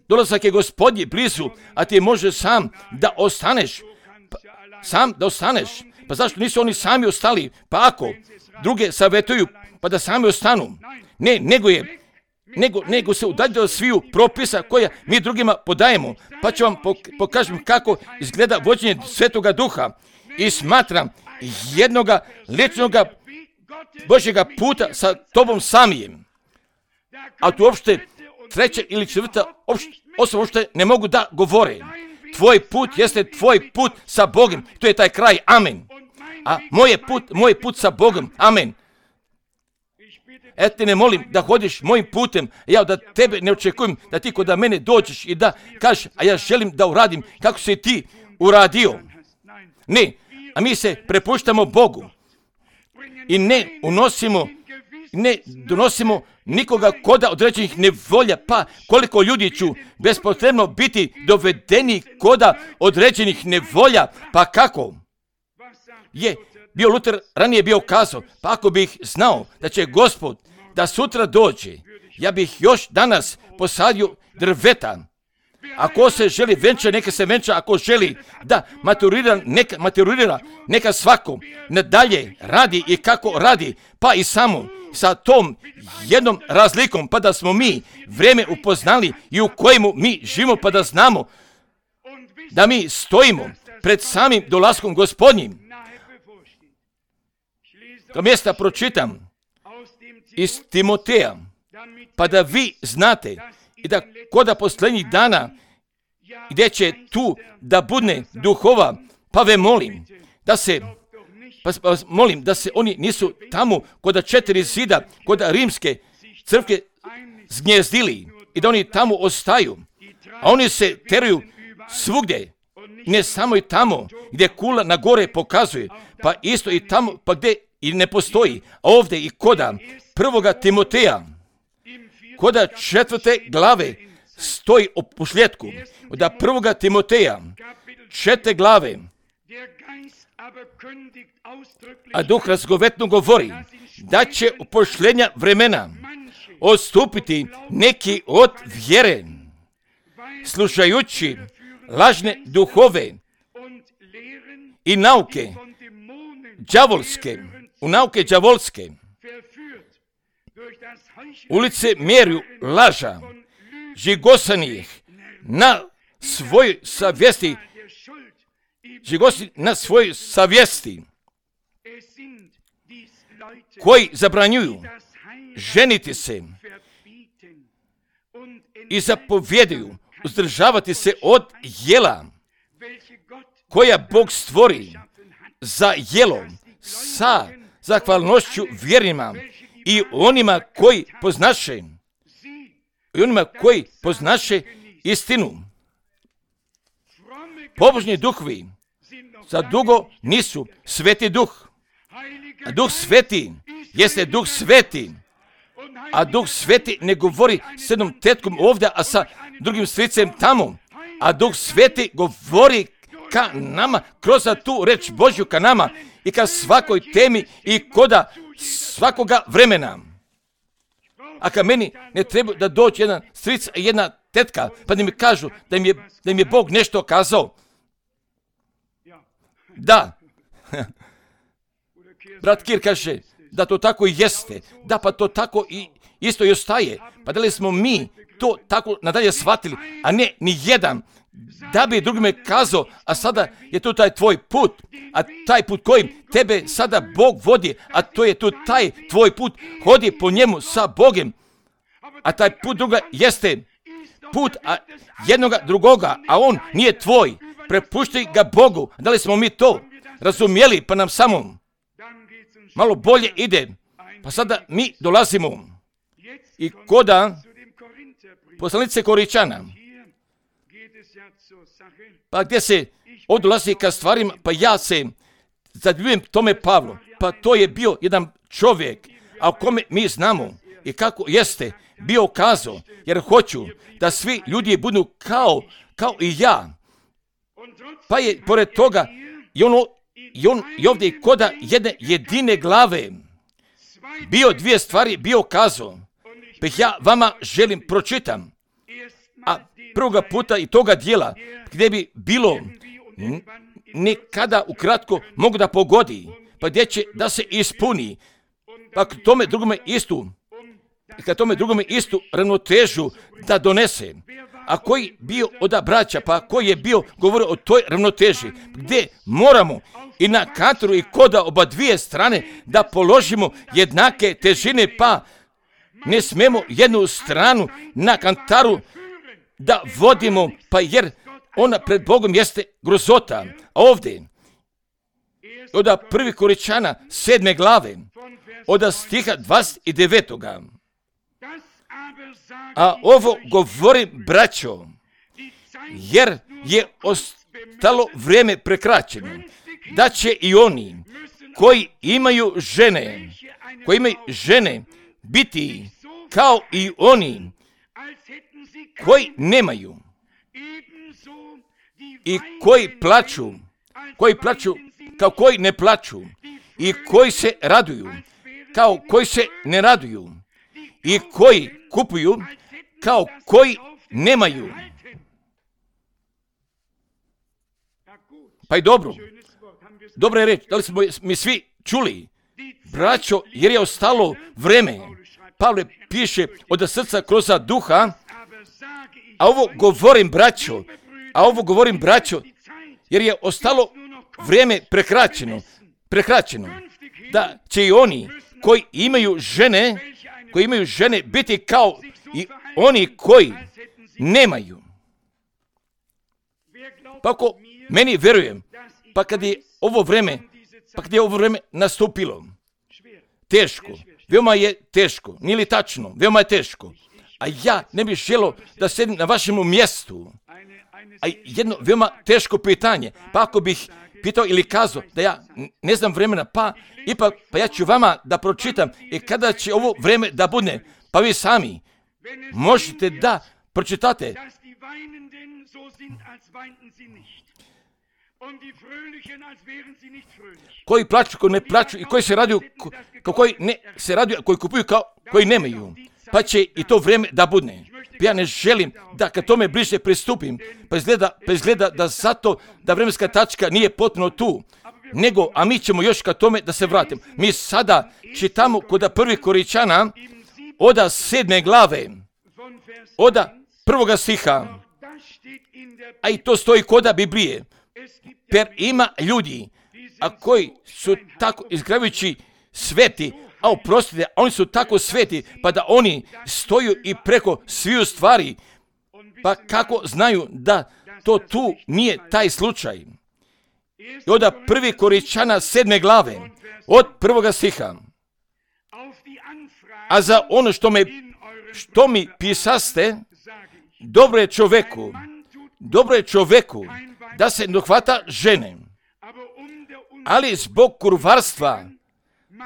dolazak je Gospodnji blizu, a ti može sam da ostaneš, pa zašto nisu oni sami ostali, pa ako druge savjetuju, pa da sami ostanu, ne, nego se udalje od sviju propisa koja mi drugima podajemo, pa ću vam pokažem kako izgleda vođenje Svetoga Duha i smatram jednoga ličnoga Božjega puta sa tobom samijem. A tu uopšte treća ili četvrta osoba uopšte ne mogu da govore. Tvoj put jeste tvoj put sa Bogom. To je taj kraj. Amen. A moj put sa Bogom. Amen. Te ne molim da hodiš mojim putem, ja da tebe ne očekujem da ti kod mene dođeš i da kažeš, a ja želim da uradim kako si ti uradio. Ne, a mi se prepuštamo Bogu i ne donosimo nikoga koda određenih nevolja, pa koliko ljudi ću bespotrebno biti dovedeni koda određenih nevolja, pa kako je bio Luter ranije bio kazao, pa ako bih znao da će Gospod da sutra dođe, ja bih još danas posadio drveta. Ako se želi venča, neka se venča, ako želi da maturira, neka svako nadalje radi i kako radi, pa i samo sa tom jednom razlikom, pa da smo mi vrijeme upoznali i u kojemu mi živimo, pa da znamo da mi stojimo pred samim dolaskom Gospodnjim. To mjesta pročitam iz Timoteja, pa da vi znate i da koda posljednjih dana gdje će tu da budne duhova, pa ve molim da se oni nisu tamo koda 4 zida, koda rimske crkve zgnjezdili i da oni tamo ostaju, a oni se teruju svugdje, ne samo i tamo gdje kula na gore pokazuje, pa isto i tamo, pa gdje i ne postoji, a ovdje i koda 1. Timoteja, koda 4. glave stoji o pošljetku, da 1. Timoteja 4. glave, a Duh razgovetno govori da će u pošljenja vremena odstupiti neki od vjere, slušajući lažne duhove i nauke đavolske, ulice mjeruju laža, žigosanih na svojoj savjesti, koji zabranjuju ženiti se i zapovjedaju uzdržavati se od jela koja Bog stvori za jelo sa zahvalnošću vjernima i onima koji poznaše istinu. Pobožni duhovi za dugo nisu Sveti Duh. A Duh Sveti jeste Duh Sveti, a Duh Sveti ne govori s jednom tetkom ovdje, a sa drugim stricem tamo. A Duh Sveti govori ka nama, kroz tu reč Božju ka nama i ka svakoj temi i koda svakoga vremena. A ka meni ne treba da dođe jedan stric i jedna tetka, pa da mi kažu da im je Bog nešto kazao. Da. Brat Kir kaže da to tako i jeste. Da, pa to tako i isto i ostaje. Pa da li smo mi to tako nadalje shvatili, a ne ni jedan, da bi drugime kazao, a sada je tu taj tvoj put, a taj put kojim tebe sada Bog vodi, a to je tu taj tvoj put, hodi po njemu sa Bogem, a taj put druga jeste put jednoga drugoga, a on nije tvoj, prepušti ga Bogu. Da li smo mi to razumjeli, pa nam samo malo bolje ide, pa sada mi dolazimo i koda poslanice Koričana, pa gdje se odlazi ka stvarima, pa ja se zadivim tome Pavlu, pa to je bio jedan čovjek, a o kome mi znamo i kako jeste bio kazao, jer hoću da svi ljudi budu kao i ja. Pa je pored toga i on ovdje koda jedne jedine glave bio dvije stvari bio kazao, pa ja vama želim pročitam. A prvoga puta i toga dijela gdje bi bilo nekada ukratko mogu da pogodi, pa gdje će da se ispuni, pa k tome drugome istu ravnotežu da donese. A koji bio od braća, pa koji je bio govorio o toj ravnoteži, gdje moramo i na kantoru i koda oba dvije strane da položimo jednake težine, pa ne smemo jednu stranu na kantaru da vodimo, pa jer ona pred Bogom jeste grozota. A ovdje, od 1. Koričana 7. glave, od stiha 29. A ovo govorim, braćo, jer je ostalo vrijeme prekraćeno, da će i oni koji imaju žene biti kao i oni koji nemaju i koji plaću kao koji ne plaću i koji se raduju kao koji se ne raduju i koji kupuju kao koji nemaju. Pa i dobra je reč, da li smo mi svi čuli, braćo, jer je ostalo vreme. Pavle piše od srca kroz duha, a ovo govorim braćo, jer je ostalo vrijeme prekraćeno, da će i oni koji imaju žene biti kao i oni koji nemaju. Pa ako meni vjerujem, pa kad je ovo vreme nastupilo, teško, veoma je teško, nije li tačno, veoma je teško, a ja ne bih želio da sedim na vašem mjestu. A jedno veoma teško pitanje, pa ako bih pitao ili kazao da ja ne znam vremena, pa ja ću vama da pročitam i kada će ovo vreme da bude, pa vi sami možete da pročitate. Koji plaću, koji ne plaću i koji se raduju, koji ne se raduju, koji kupuju kao koji nemaju. Pa će i to vrijeme da budne. Ja ne želim da kad tome bliže pristupim, pa izgleda da zato da vremenska tačka nije potpuno tu, nego, a mi ćemo još kad tome da se vratim. Mi sada čitamo kod 1. Koričana od 7. glave, od 1. stiha, a i to stoji koda Biblije, per ima ljudi, a koji su tako izgravujući sveti, a oprostite, oni su tako sveti, pa da oni stoju i preko sviju stvari, pa kako znaju da to tu nije taj slučaj. I od 1. Koričana 7. glave, od 1. stiha, a za ono što mi pisaste, dobro je čoveku da se dohvata žene, ali zbog kurvarstva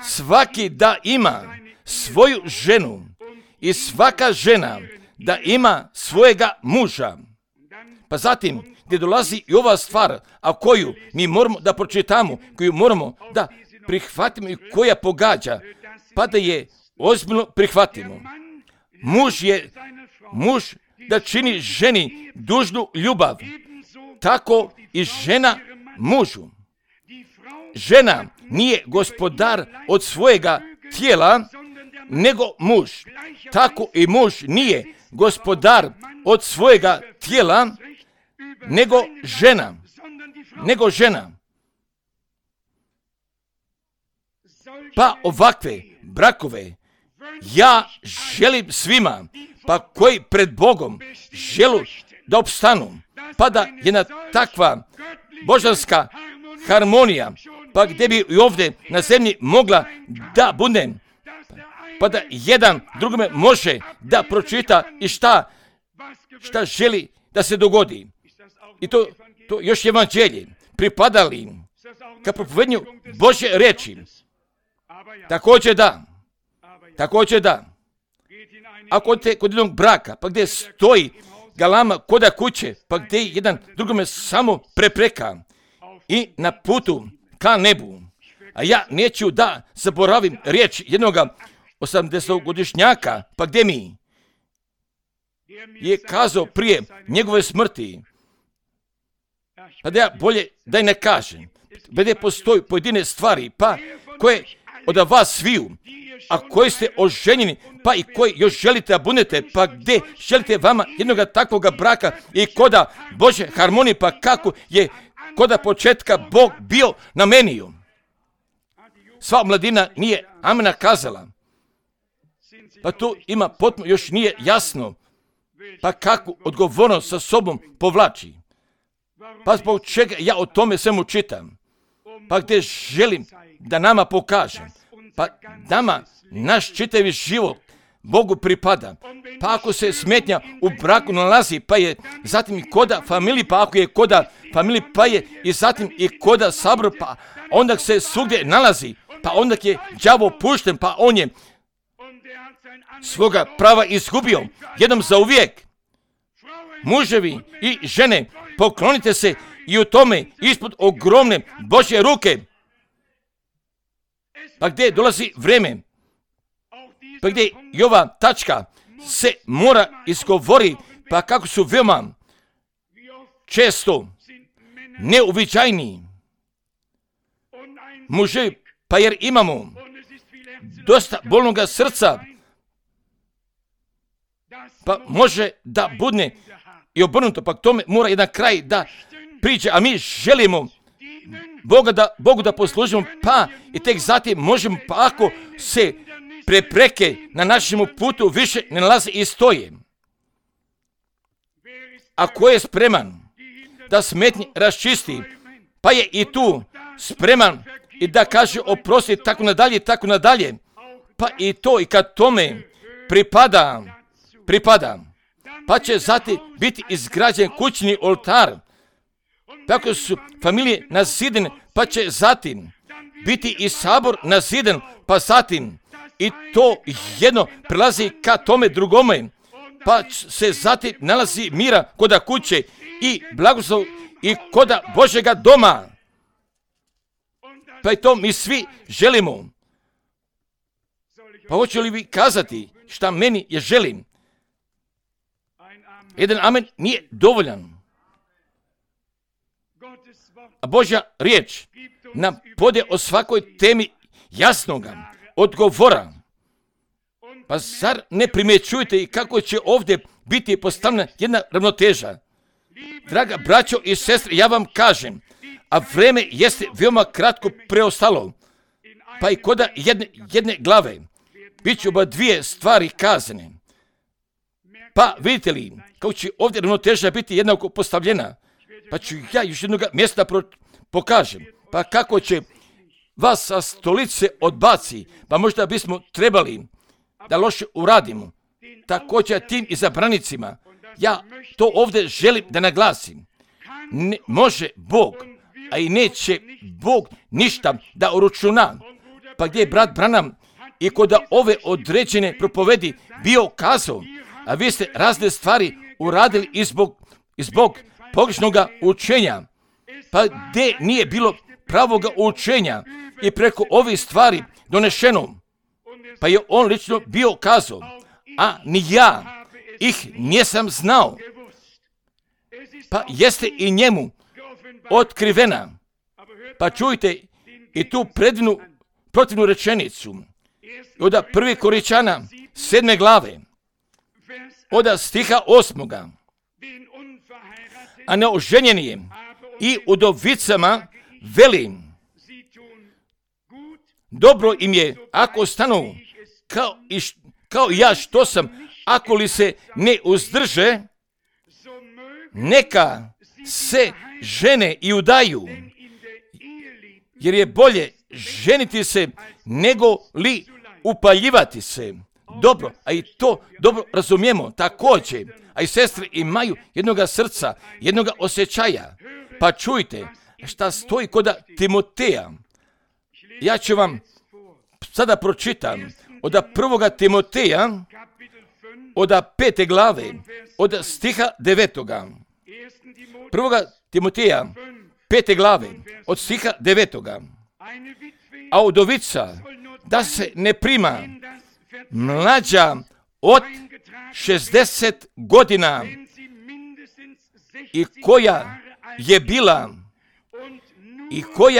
svaki da ima svoju ženu i svaka žena da ima svojega muža. Pa zatim, gdje dolazi i ova stvar, a koju mi moramo da pročitamo, koju moramo da prihvatimo i koja pogađa, pa da je ozbiljno prihvatimo. Muž da čini ženi dužnu ljubav, tako i žena mužu. Žena nije gospodar od svojega tijela, nego muž. Tako i muž nije gospodar od svojega tijela, nego žena. Pa ovakve brakove ja želim svima, pa koji pred Bogom želu da opstanu, pa da jedna takva božanska harmonija, pa gdje bi i ovdje na zemlji mogla da bude, pa da jedan drugome može da pročita i šta želi da se dogodi. I to još evanđelje pripadali ka propovednju Božje reči. Također da. Ako odete kod jednog braka, pa gdje stoji galama koda kuće, pa gdje jedan drugome samo prepreka i na putu ka nebu. A ja neću da zaboravim riječ jednoga 80-godišnjaka, pa gdje mi je kazao prije njegove smrti, pa da ja bolje da i ne kažem, gdje postoji pojedine stvari, pa koje od vas sviju, a koji ste oženjeni, pa i koji još želite da budete, pa gdje želite vama jednoga takvoga braka i koda Bože harmonije, pa kako je koda početka Bog bio namenio. Sva mladina nije amena kazala, pa tu ima potpuno još nije jasno, pa kakvu odgovornost sa sobom povlači. Pa zbog čega ja o tome svemu čitam, pa gdje želim da nama pokažem, pa nama naš čitavi život Bogu pripada. Pa ako se smetnja u braku nalazi, pa je zatim i koda familiji, pa ako je koda familiji, pa je i zatim i koda sabor, pa onda se svugdje nalazi, pa onda je đavo pušten, pa on je svoga prava izgubio jednom za uvijek. Muževi i žene, poklonite se i u tome ispod ogromne Božje ruke. Pa gdje dolazi vrijeme, pa gdje i ova tačka se mora izgovori, pa kako su veoma često neuviđajni muževi, pa jer imamo dosta bolnoga srca, pa može da budne i obrnuto, pa k tome mora jedan kraj da priđe, a mi želimo Bogu da poslužimo, pa i tek zatim možemo, pa ako se prepreke na našemu putu više ne nalaze i stoje. Ako je spreman da smetnje raščisti, pa je i tu spreman i da kaže oprosti, tako nadalje, pa i to i kad tome pripada, pa će zatim biti izgrađen kućni oltar, tako su familije nazidene, pa će zatim biti i sabor nazidan, pa zatim i to jedno prelazi ka tome drugome, pa se zatim nalazi mira koda kuće i blagoslov i koda Božjega doma. Pa i to mi svi želimo. Pa hoću li vi kazati šta meni je želim? Jedan amen nije dovoljan. A Božja riječ nam pode o svakoj temi jasnoga odgovora. Pa zar ne primjećujete i kako će ovdje biti postavljena jedna ravnoteža? Draga braćo i sestre, ja vam kažem, a vrijeme jeste veoma kratko preostalo, pa i koda jedne glave, bit će oba dvije stvari kazane. Pa vidite li, kako će ovdje ravnoteža biti jednako postavljena, pa ću ja još jednog mjesta pokažem, pa kako će vas sa stolice odbaci, pa možda bismo trebali da loše uradimo, također tim izabranicima. Ja to ovdje želim da naglasim. Ne može Bog, a i neće Bog ništa da uračuna. Pa gdje je brat Branham i kod ove određene propovedi bio kazao, a vi ste razne stvari uradili i zbog pogrešnog učenja, pa gdje nije bilo pravog učenja i preko ovih stvari donešeno, pa je on lično bio kazao, a ni ja ih nisam znao, pa jeste i njemu otkrivena. Pa čujte i tu protivnu rečenicu od 1. Korinćana 7. glave, od stiha 8. A neoženjeni i udovicama velim, dobro im je ako stanu kao ja što sam, ako li se ne uzdrže, neka se žene i udaju, jer je bolje ženiti se nego li upaljivati se. Dobro, a i to dobro razumijemo također, a i sestre imaju jednoga srca, jednoga osjećaja. Pa čujte šta stoji kod Timoteja. Ja ću vam sada pročitam od 1. Timoteja, od 5. glave, od stiha 9. 1. Timoteja, 5. glave, od stiha 9. A udovica da se ne prima mlađa od 60 godina i koja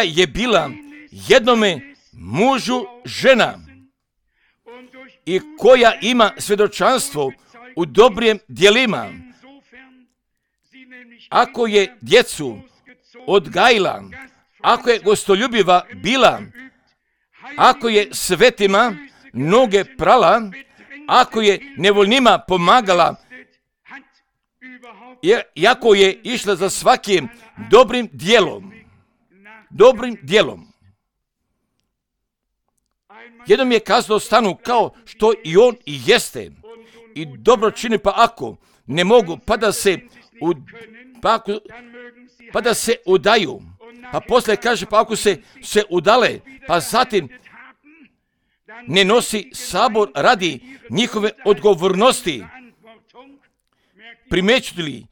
je bila jednome mužu žena i koja ima svjedočanstvo u dobrim djelima, ako je djecu odgajila, ako je gostoljubiva bila, ako je svetima noge prala, ako je nevoljnima pomagala, iako je išla za svakim dobrim djelom. Jednom je kazao stanu kao što i on i jeste i dobro čini, pa ako ne mogu, pa da se udaju, pa poslije kaže, pa ako se udale, pa zatim ne nosi sabor radi njihove odgovornosti. Primećujete li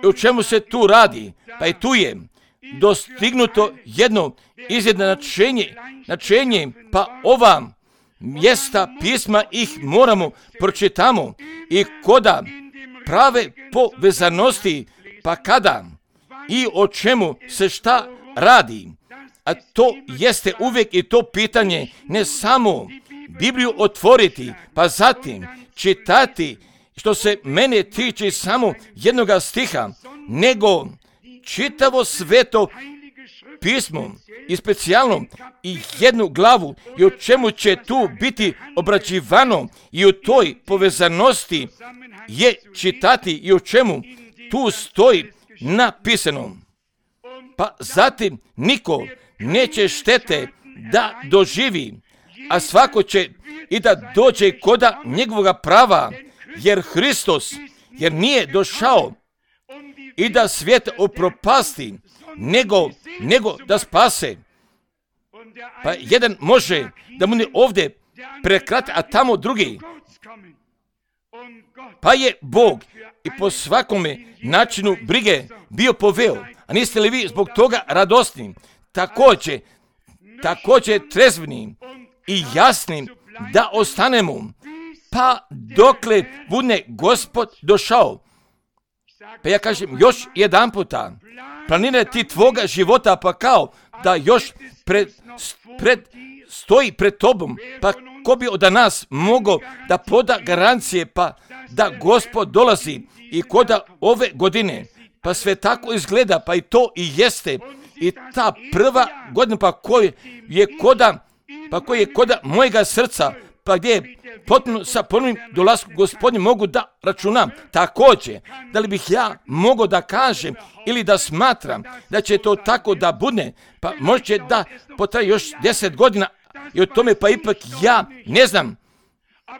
o čemu se tu radi? Pa i tu je dostignuto jedno izjednačenje, pa ova mjesta pisma ih moramo pročitamo i koda prave povezanosti, pa kada i o čemu se šta radi. A to jeste uvijek i to pitanje, ne samo Bibliju otvoriti, pa zatim čitati, što se mene tiče samo jednoga stiha, nego čitavo sveto pismo i specijalno i jednu glavu i o čemu će tu biti obrađivano i u toj povezanosti je čitati i o čemu tu stoji napisano. Pa zatim niko neće štete da doživi, a svako će i da dođe koda njegovoga prava, jer nije došao i da svijet upropasti, nego da spase. Pa jedan može da mu ne ovdje prekrati, a tamo drugi. Pa je Bog i po svakome načinu brige bio poveo. A niste li vi zbog toga radosni? Također trezveni i jasni da ostanemo, pa dokle bude Gospod došao. Pa ja kažem još jedan puta, planirati tvoga života, pa kao da još stoji pred tobom, pa ko bi od nas mogao da poda garancije, pa da Gospod dolazi i koda ove godine, pa sve tako izgleda, pa i to i jeste, i ta prva godina, pa koji je koda mojega srca, pa gdje je potpuno sa ponovnim dolaskom Gospodnjim mogu da računam. Također, da li bih ja mogao da kažem ili da smatram da će to tako da bude, pa možda da potraje još 10 godina i o tome pa ipak ja ne znam.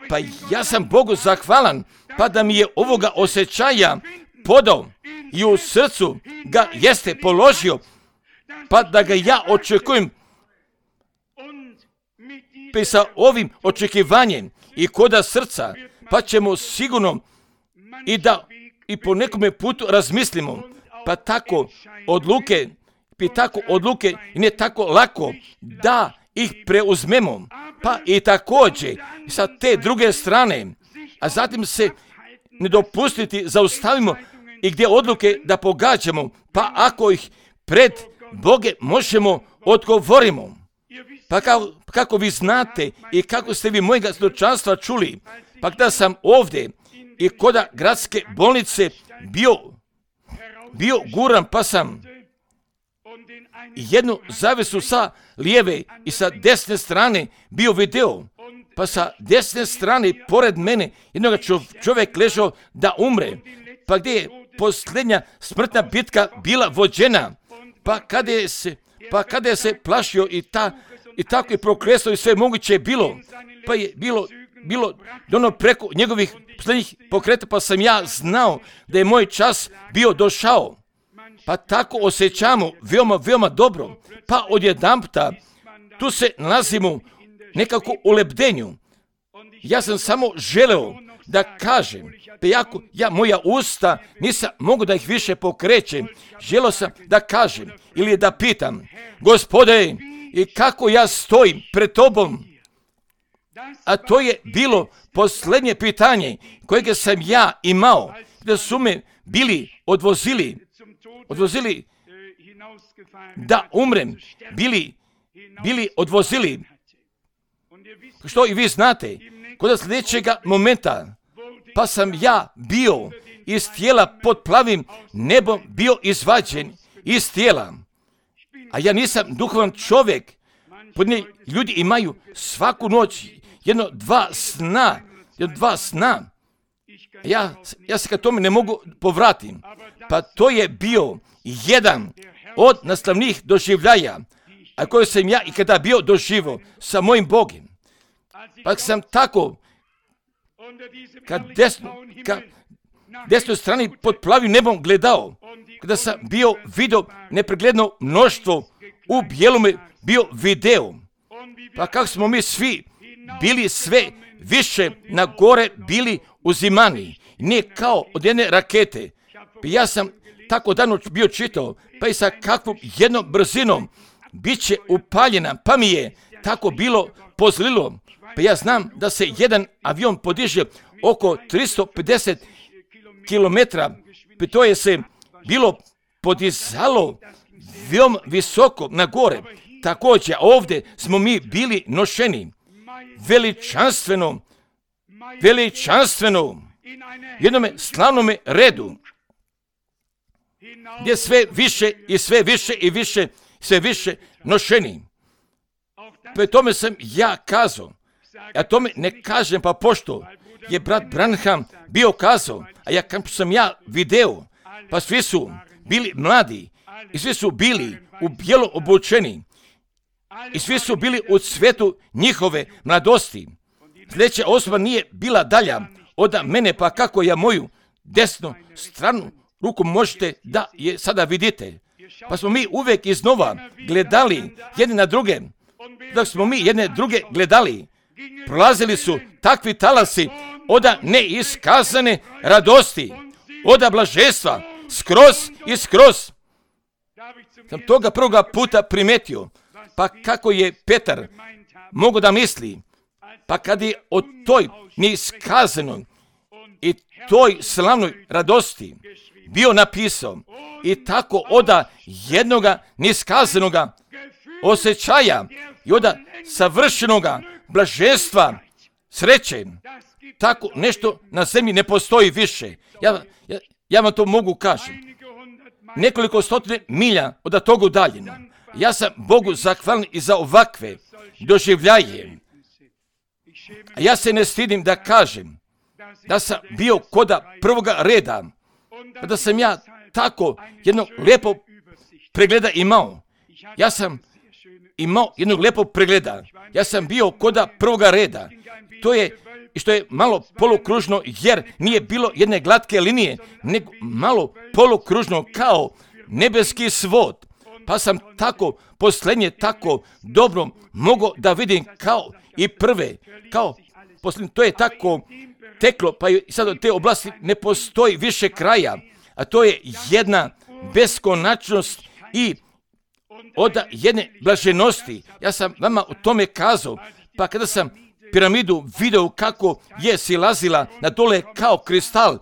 Pa ja sam Bogu zahvalan, pa da mi je ovoga osjećaja podao i u srcu ga jeste položio, pa da ga ja očekujem pa i sa ovim očekivanjem i koda srca, pa ćemo sigurno i po nekome putu razmislimo, pa tako odluke i ne tako lako da ih preuzmemo, pa i također sa te druge strane, a zatim se ne dopustiti, zaustavimo i gdje odluke da pogađamo, pa ako ih pred Boge možemo odgovorimo. Pa kako vi znate i kako ste vi mojega svjedočanstva čuli, pa kada sam ovdje i koda gradske bolnice bio guran, pa sam jednu zavesu sa lijeve i sa desne strane bio video, pa sa desne strane pored mene jednog čovjek ležao da umre, pa gdje je posljednja smrtna bitka bila vođena, pa kada je se plašio i tako je prokresao i sve moguće je bilo, pa je bilo dono preko njegovih posljednjih pokreta, pa sam ja znao da je moj čas bio došao. Pa tako osjećamo veoma dobro, pa odjedanputa tu se nalazimo nekako u lebdenju. Ja sam samo želeo da kažem, pa moja usta nisam mogu da ih više pokrećem, želeo sam da kažem ili da pitam, Gospode, i kako ja stojim pred Tobom? A to je bilo posljednje pitanje kojeg sam ja imao, da su me bili odvozili da umrem, bili odvozili. Što i vi znate, kod sljedećega momenta, pa sam ja bio iz tijela pod plavim nebom bio izvađen iz tijela. A ja nisam duhovan čovjek. Podne ljudi imaju svaku noć dva sna. Ja se ka tome ne mogu povratiti. Pa to je bio jedan od nastavnih doživljaja, a koje sam ja i kada bio doživio sa mojim Bogom. Pa sam tako ka desnoj strani pod plavim nebom gledao, kada sam vidio nepregledno mnoštvo u bijelome bio video. Pa kako smo mi svi bili sve više na gore bili uzimani, nije kao od jedne rakete. Pa ja sam tako davno bio čitao, pa i sa kakvom jednom brzinom bit će upaljena, pa mi je tako bilo pozlilo. Pa ja znam da se jedan avion podiže oko 350 kilometra, pa to je se bilo podizalo veoma visoko na gore. Također ovdje smo mi bili nošeni veličanstveno jednome slavnome redu, gdje sve više nošeni. Pa tome sam ja kazao, a tome ne kažem pa pošto je brat Branham bio kazao, a sam ja video, pa svi su bili mladi i svi su bili u bijelo obučeni i svi su bili u cvetu njihove mladosti. Sljedeća osoba nije bila dalja od mene, pa kako ja moju desnu stranu ruku možete da je sada vidite. Pa smo mi uvijek iznova gledali jedni na druge. Dok smo mi jedne druge gledali, prolazili su takvi talasi od neiskazane radosti, od blaženstva, skroz. Sam toga prvoga puta primetio, pa kako je Petar mogao da misli, pa kad je o toj neiskazanoj i toj slavnoj radosti bio napisao i tako oda jednoga neiskazanoga osjećaja i oda savršenoga blaženstva, sreće, tako nešto na zemlji ne postoji više. Ja vam to mogu kažem. Nekoliko stotine milja od toga udaljeno. Ja sam Bogu zahvalan i za ovakve doživljaje. A ja se ne stidim da kažem da sam bio koda prvoga reda, da sam ja tako jednog lijepog pregleda imao. Ja sam imao jednog lijepog pregleda. Ja sam bio koda prvoga reda. To je što je malo polukružno, jer nije bilo jedne glatke linije, nego malo polukružno kao nebeski svod. pa sam tako posljednje tako dobro mogao da vidim kao i prve, kao posljednje. To je tako teklo, pa i sad od te oblasti ne postoji više kraja, a to je jedna beskonačnost i od jedne blaženosti. Ja sam vama o tome kazao, pa kada sam piramidu video kako je silazila na dole kao kristal,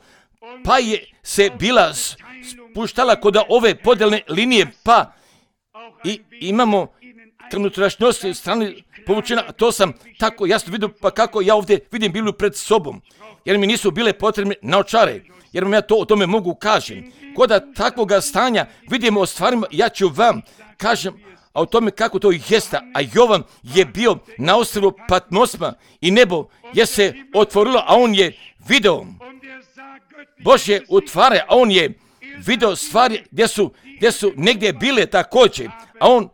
pa je se bila spuštala kod ove podelne linije, pa i imamo unutrašnjosti strane povučena, a to sam tako jasno vidio, pa kako ja ovdje vidim Bibliju pred sobom, jer mi nisu bile potrebne naočare, jer vam ja to o tome mogu kažem. Kod takvoga stanja vidimo o stvarima, ja ću vam kažem a o tome kako to jeste, a Jovan je bio na ostrvu Patmosma i nebo je se otvorilo, a on je video Božje utvare, a on je video stvari gdje su negdje bile također, a on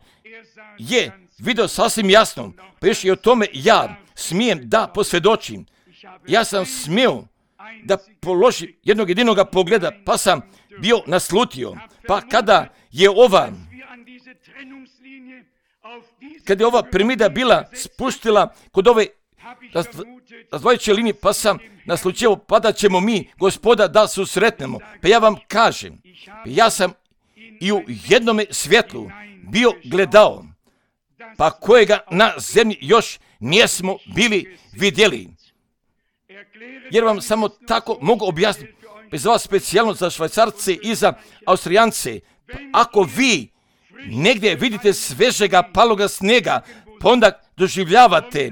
je video sasvim jasno. Pa još i o tome ja smijem da posvjedočim. Ja sam smio da položim jednog jedinoga pogleda, pa sam bio naslutio. Pa kada je ova piramida bila spuštila kod ove razdvojeće linije, pa sam naslučio, pa da ćemo mi, Gospoda, da susretnemo. Pa ja vam kažem, ja sam i u jednome svjetlu bio gledao, pa kojega na zemlji još nismo bili vidjeli. Jer vam samo tako mogu objasniti, bez vas specijalno za Švajcarce i za Austrijance, ako vi negdje vidite svežega paloga snega, pa onda doživljavate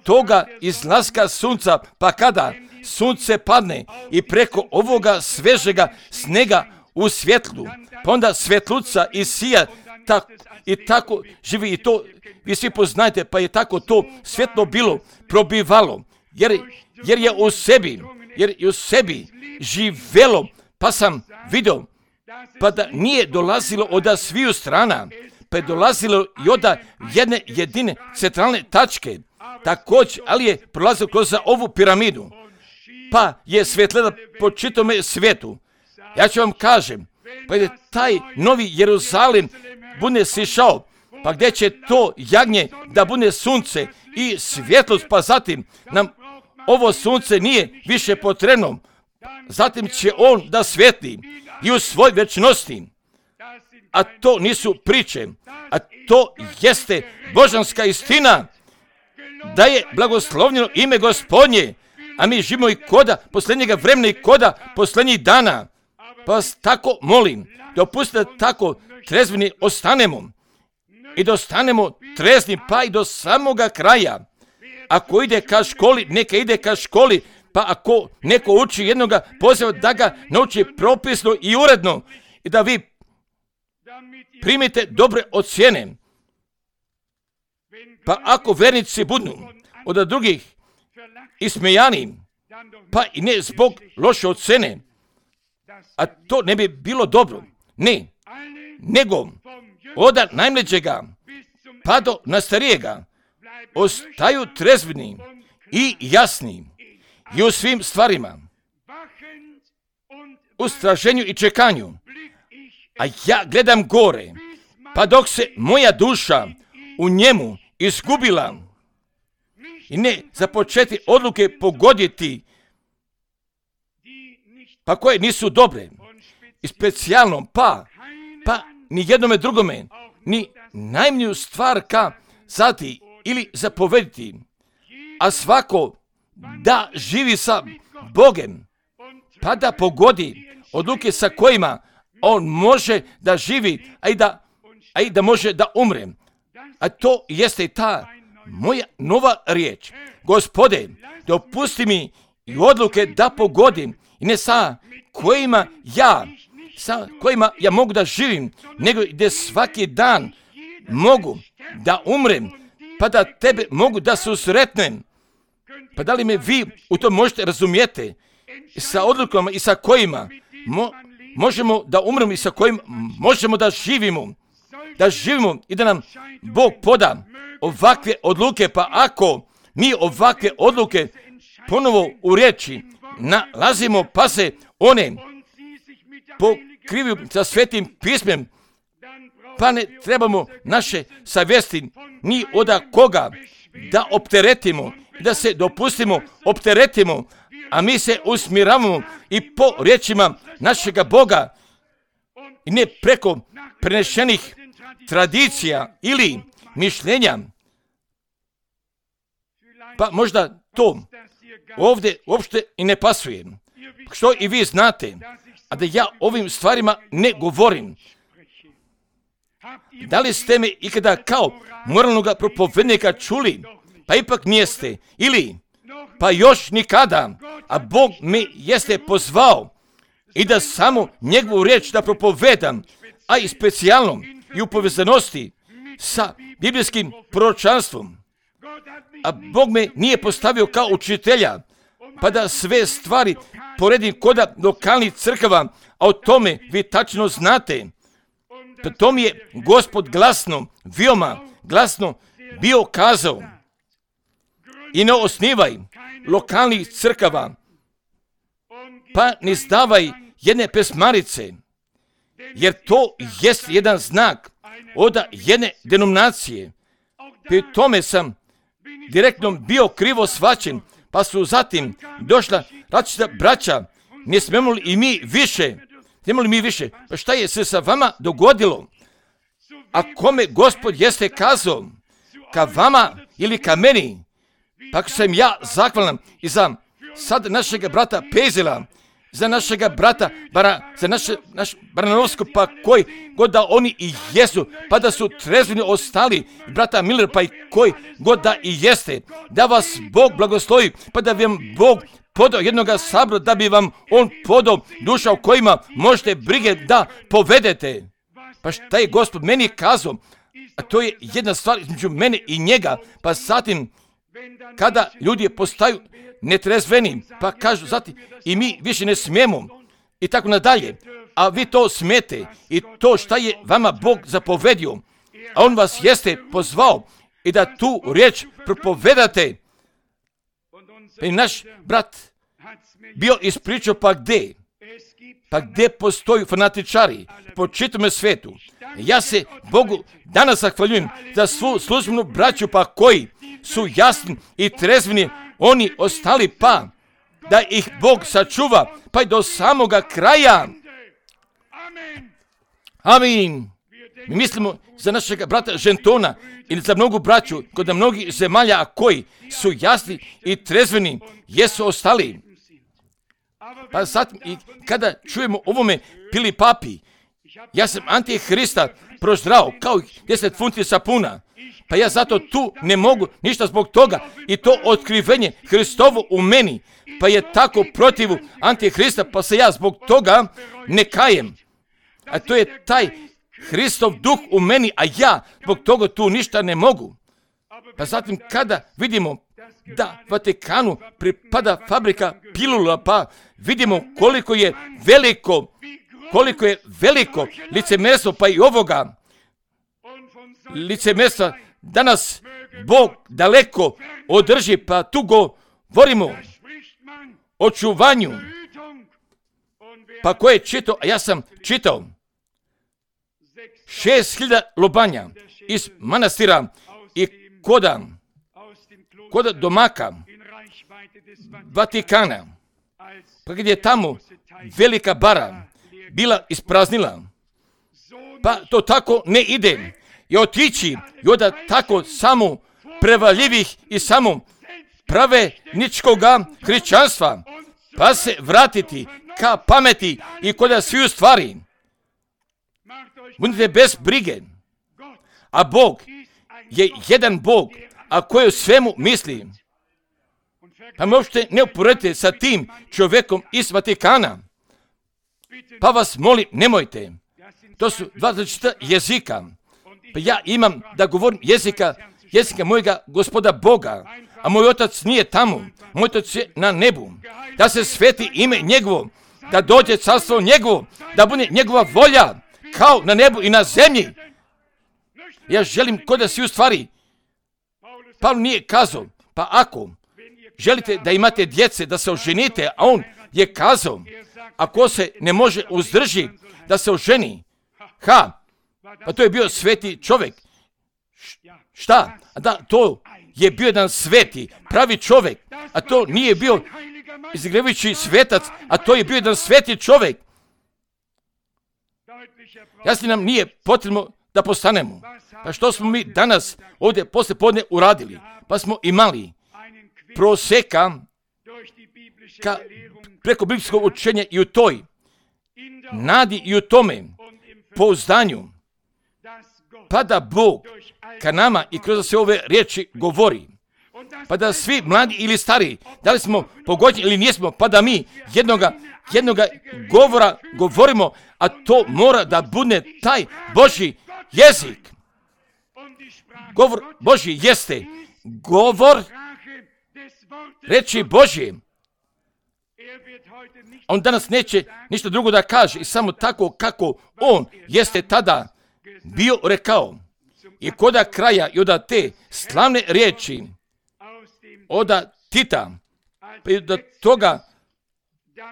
toga izlaska sunca, pa kada sunce padne i preko ovoga svežega snega u svjetlu, pa onda svjetluca i sija i tako živi i to vi svi poznajete, pa je tako to svjetlo bilo probivalo, jer je u sebi živelo, pa sam vidio, pa da nije dolazilo od sviju strana, pa je dolazilo i od jedne jedine centralne tačke, također, ali je prolazilo kroz ovu piramidu, pa je svjetleda po čitome svijetu. Ja ću vam kažem, pa je taj novi Jerusalim bude sišao, pa gdje će to jagnje da bude sunce i svjetlost, pa zatim nam ovo sunce nije više potrebno, zatim će on da svijetli i u svoj večnosti, a to nisu priče, a to jeste božanska istina, da je blagoslovljeno ime Gospodnje, a mi živimo i koda posljednjega vremena i koda posljednjih dana. Pa vas tako molim, da opustite tako trezveni ostanemo i da ostanemo trezni pa i do samoga kraja. Ako ide ka školi, neka ide ka školi, pa ako neko uči jednoga poziva da ga nauči propisno i uredno i da vi primite dobre ocjene. Pa ako vernici budu od drugih ismejani, pa i ne zbog loše ocjene, a to ne bi bilo dobro, ne, nego od najmlađega pa do nastarijega ostaju trezveni i jasni i u svim stvarima, u straženju i čekanju. A ja gledam gore, pa dok se moja duša u njemu izgubila i ne započeti odluke pogoditi, pa koje nisu dobre i specijalno, pa ni jednome drugome, ni najmniju stvar kazati ili zapovediti, a svako da živi sa Bogem, pa da pogodi odluke sa kojima on može da živi, a i da može da umre. A to jeste ta moja nova riječ. Gospode, dopusti mi i odluke da pogodim, i ne sa kojima ja mogu da živim, nego gdje svaki dan mogu da umrem, pa da tebe mogu da susretnem. Pa da li me vi u to možete razumijete? Sa odlukama i sa kojima možemo da umremo i sa kojim možemo da živimo. Da živimo i da nam Bog poda ovakve odluke, pa ako mi ovakve odluke ponovo u riječi nalazimo, pa se one pokrivaju sa Svetim pismem, Pa ne trebamo naše savjesti ni od koga da opteretimo, da se dopustimo, opteretimo, a mi se usmjeravamo i po riječima našega Boga i ne preko prenešenih tradicija ili mišljenja. Pa možda to ovdje uopšte i ne pasuje. Što i vi znate, a da ja ovim stvarima ne govorim. Da li ste me ikada kao moralnog propovednika čuli? Pa ipak nijeste. Ili, pa još nikada, a Bog me jeste pozvao i da samo njegovu riječ da propovedam, a i specijalno i u povezanosti sa biblijskim proročanstvom. A Bog me nije postavio kao učitelja, pa da sve stvari poredim kod lokalnih crkava, a o tome vi tačno znate. Pa to mi je Gospod glasno, veoma glasno bio kazao. I ne osnivaj lokalnih crkava, pa ne zdavaj jedne pesmarice, jer to jest jedan znak od jedne denominacije. Pri tome sam direktno bio krivo shvaćen, pa su zatim došla različita braća. Ne smemo li i mi više? Pa šta je se sa vama dogodilo? A kome Gospod jeste kazao? Ka vama ili ka meni? Pa sam ja zahvalan i za sad našega brata Pezela, za našega brata naš Baranovsko, pa koji god da oni i jesu, pa da su trezveni ostali, brata Miller, pa i koji god da i jeste, da vas Bog blagoslovi, pa da bi vam Bog podao jednoga sabora, da bi vam on podao duša u kojima možete brige da povedete. Pa šta je Gospod meni kazao? A to je jedna stvar između mene i njega, pa zatim kada ljudi postaju netrezveni, pa kažu zatim i mi više ne smijemo i tako nadalje, a vi to smete i to šta je vama Bog zapovedio, a on vas jeste pozvao i da tu riječ propovedate. Pa i naš brat bio ispričao pa gdje postoju fanatičari po čitavom svijetu. Ja se Bogu danas zahvaljujem za svu službenu braću, pa koji su jasni i trezveni, oni ostali, pa da ih Bog sačuva pa i do samoga kraja. Amin. Mi mislimo za našeg brata Žentona ili za mnogu braću kod mnogih zemalja, a koji su jasni i trezveni, jesu ostali. Pa zatim i kada čujemo ovome pili papi, ja sam Antihrista proždrao kao 10 funti sapuna. Pa ja zato tu ne mogu ništa zbog toga i to otkrivenje Hristovo u meni, pa je tako protiv Antihrista, pa se ja zbog toga ne kajem. A to je taj Hristov duh u meni, a ja zbog toga tu ništa ne mogu. Pa zatim kada vidimo da Vatikanu pripada fabrika pilula, pa vidimo koliko je veliko licemerstvo, pa i ovoga licemerstva danas Bog daleko održi, pa tu govorimo o čuvanju. Pa ko je čitao, a ja sam čitao 6.000 lobanja iz manastira i koda domaka Vatikana, pa gdje je tamo velika bara bila ispraznila. Pa to tako ne ide. I otići i onda tako samo prevaljivih i samo pravedničkoga hrišćanstva, pa se vratiti ka pameti i kod sviju stvari. Budite bez brige. A Bog je jedan Bog, a koji u svemu misli. Pa me uopšte ne uporedite sa tim čovjekom iz Vatikana. Pa vas molim, nemojte. To su dva različita jezika. Pa ja imam da govorim jezika mojega Gospoda Boga, a moj otac nije tamo, moj otac je na nebu. Da se sveti ime njegovo, da dođe carstvo njegovo, da bude njegova volja, kao na nebu i na zemlji. Ja želim kod da svi u stvari. Pavle nije kazao, pa ako želite da imate djece, da se oženite, a on je kazao, ako se ne može uzdrži da se oženi, Pa to je bio sveti čovjek. Šta? Da, to je bio jedan sveti, pravi čovjek. A to nije bio izgrebujući svetac, a to je bio jedan sveti čovjek. Jasno nam nije potrebno da postanemo. Pa što smo mi danas ovdje poslije podne uradili? Pa smo imali proseka preko biblijskog učenja i u toj nadi i u tome pouzdanju, pa da Bog ka nama i kroz sve ove riječi govori, pa da svi mladi ili stari, da li smo pogođeni ili nismo, pa da mi jednoga govora govorimo, a to mora da bude taj Božji jezik. Govor Božji jeste govor reči Božje. On danas neće ništa drugo da kaže i samo tako kako on jeste tada bio rekao. I koda kraja i od te slavne riječi od Tita, pa do toga,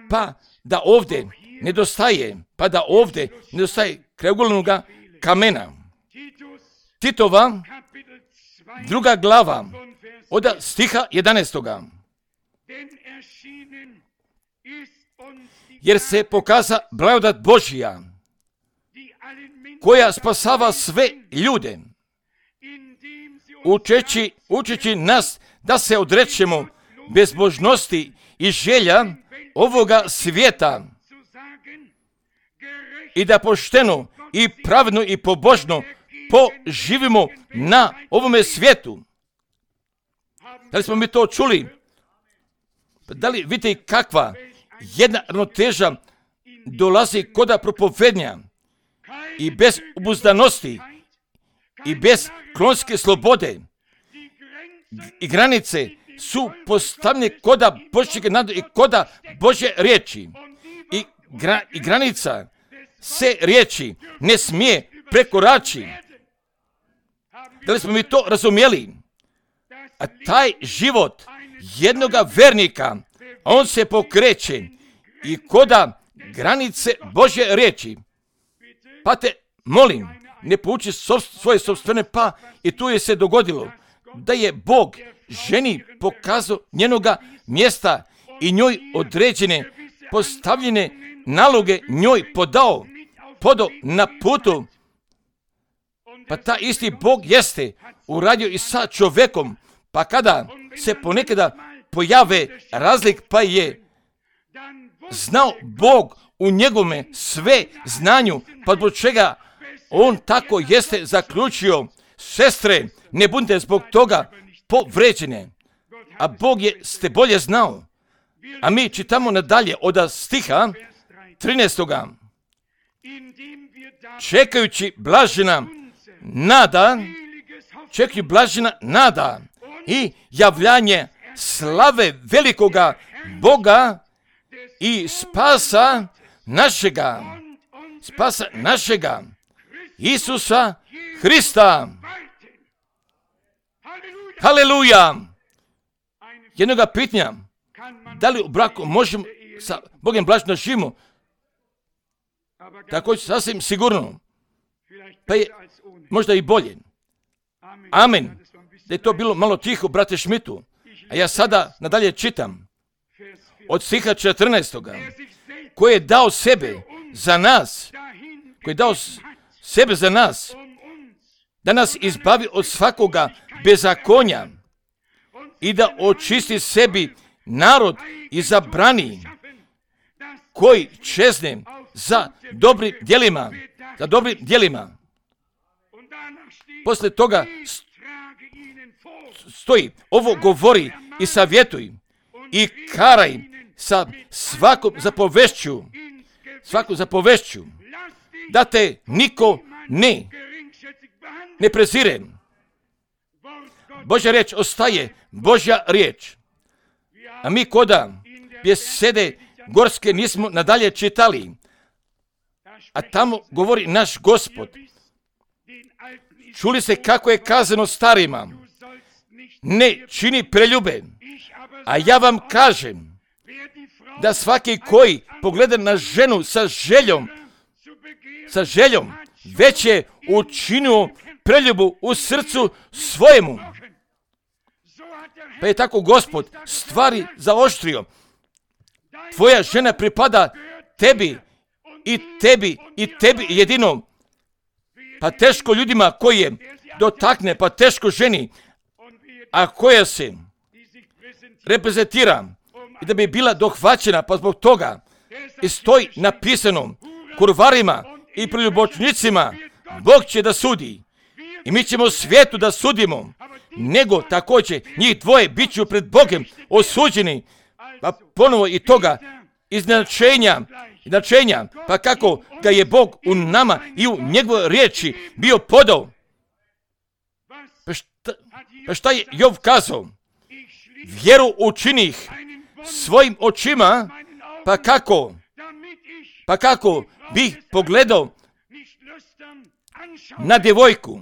pa da ovdje nedostaje krajeugolnog kamena. Titova 2. glava od stiha 11. Jer se pokaza blagodat Božja, koja spasava sve ljude, učeći nas da se odrećemo bezbožnosti i želja ovoga svijeta i da pošteno i pravedno i pobožno poživimo na ovome svijetu. Da li smo mi to čuli? Da li vidite kakva jedna ravnoteža dolazi kod propovednja i bez obuzdanosti i bez klonske slobode i granice su postavljene koda Božjeg nadu i koda Božje riječi i granica se riječi ne smije prekorači. Da li smo mi to razumjeli? A taj život jednoga vernika, on se pokreće i koda granice Božje riječi. Pa te molim, ne pouči svoje sopstvene, pa i tu je se dogodilo da je Bog ženi pokazao njenoga mjesta i njoj određene postavljene naloge njoj podao na putu. Pa ta isti Bog jeste uradio i sa čovjekom, pa kada se ponekada pojave razlik, pa je znao Bog u njegome sve znanju, pa zbog čega on tako jeste zaključio, sestre, ne budite zbog toga povređene, a Bog je ste bolje znao. A mi čitamo nadalje od stiha 13. Čekajući blažena nada i javljanje slave velikoga Boga i spasa našega Isusa Hrista. Haleluja! Jednoga pitanja, da li u braku možemo sa Bogom blaženo živimo? Također sasvim sigurno, pa je možda i bolje. Amen. Da je to bilo malo tiho, brate Šmitu. A ja sada nadalje čitam od stiha 14. Koji je dao sebe za nas, da nas izbavi od svakoga bezakonja i da očisti sebi narod i zabrani koji čezne za dobrim djelima. Poslije toga stoji, ovo govori i savjetuj i karaj sa svakom zapovešću, da te niko ne prezire. Božja riječ ostaje Božja riječ. A mi koda besede gorske nismo nadalje čitali, a tamo govori naš Gospod. Čuli se kako je kazano starima, ne čini preljube, a ja vam kažem da svaki koji pogleda na ženu sa željom već je učinio preljubu u srcu svojemu. Pa je tako Gospod stvari zaoštrio. Tvoja žena pripada tebi i tebi i tebi jedino. Pa teško ljudima koji je dotakne, pa teško ženi, a koja se reprezentira i da bi bila dohvaćena, pa zbog toga i stoji napisano kurvarima i preljubočnicima, Bog će da sudi. I mi ćemo svijetu da sudimo, nego također njih dvoje bit ću pred Bogom osuđeni, pa ponovo i toga iznenačenja, pa kako ga je Bog u nama i u njegovoj riječi bio podao. Pa šta je Jov kazao? Vjeru učinih svojim očima, pa kako bih pogledao na djevojku.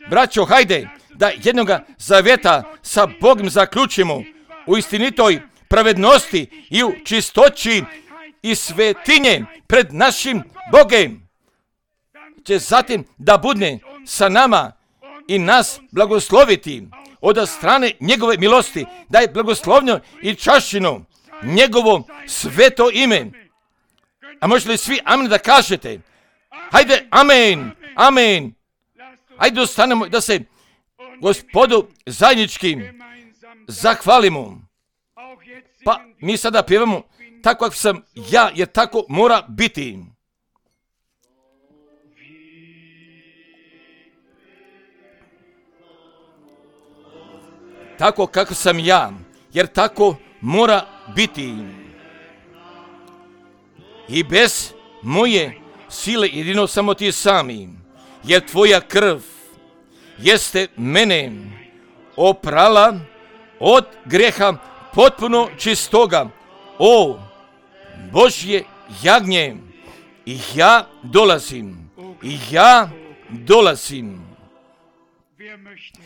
Braćo, hajde da jednoga zavjeta sa Bogom zaključimo u istinitoj pravednosti i u čistoći i svetinje pred našim Bogom. Će zatim da bude sa nama i nas blagosloviti od strane njegove milosti, da je blagoslovno i čašćeno njegovo sveto ime. A možete li svi amen da kažete? Hajde, amen, amen. Hajde ostanemo da se Gospodu zajednički zahvalimo. Pa mi sada pjevamo tako kako sam ja, jer tako mora biti. Tako kako sam ja, jer tako mora biti. I bez moje sile jedino samo ti sami, jer tvoja krv jeste mene oprala od greha potpuno čistoga. O Božje jagnje, i ja dolazim.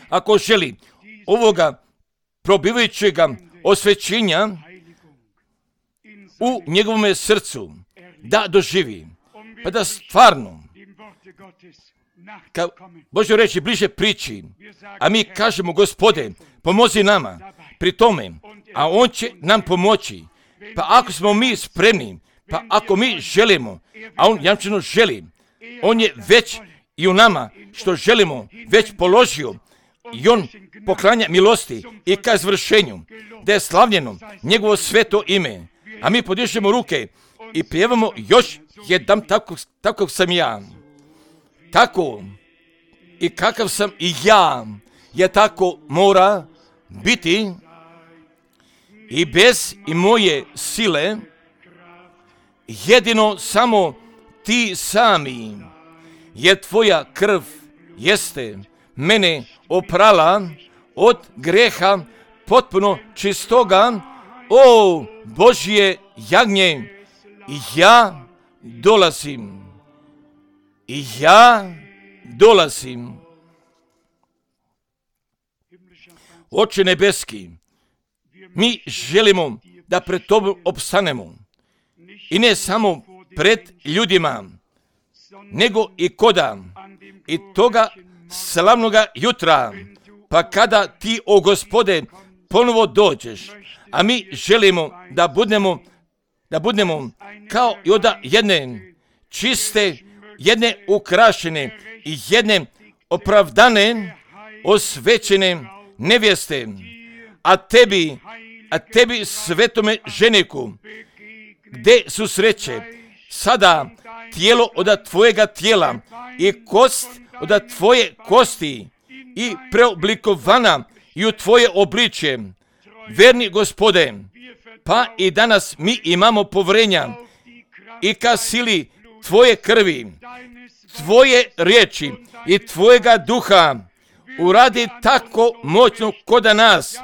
Ako želi ovoga probivajućega osvećenja u njegovom srcu da doživi, pa da stvarno kao Božje reći bliže priči, a mi kažemo Gospode, pomozi nama pri tome, a On će nam pomoći. Pa ako smo mi spremni, pa ako mi želimo, a On jamčeno želi, On je već i u nama što želimo već položio i On poklanja milosti i ka izvršenju, da je slavljeno njegovo sveto ime. A mi podižemo ruke i pjevamo još jedan tako sam ja. Tako i kakav sam i ja, je tako mora biti i bez i moje sile, jedino samo ti sami, jer tvoja krv jeste mene oprala od greha potpuno čistoga. O Božje jagnje, i ja dolazim. Oče nebeski, mi želimo da pred Tobom opstanemo. I ne samo pred ljudima, nego i koda i toga slavnoga jutra, pa kada ti, o Gospode, ponovo dođeš. A mi želimo da budemo kao i od jedne čiste, jedne ukrašene i jedne opravdane, osvećene nevjeste, a tebi svetome ženiku, gdje su sreće sada tijelo od tvojega tijela i kost od tvoje kosti i preoblikovana i u tvoje obličje. Verni Gospode, pa i danas mi imamo povjerenja i ka sili tvoje krvi, tvoje riječi i tvojega duha uradi tako moćno koda nas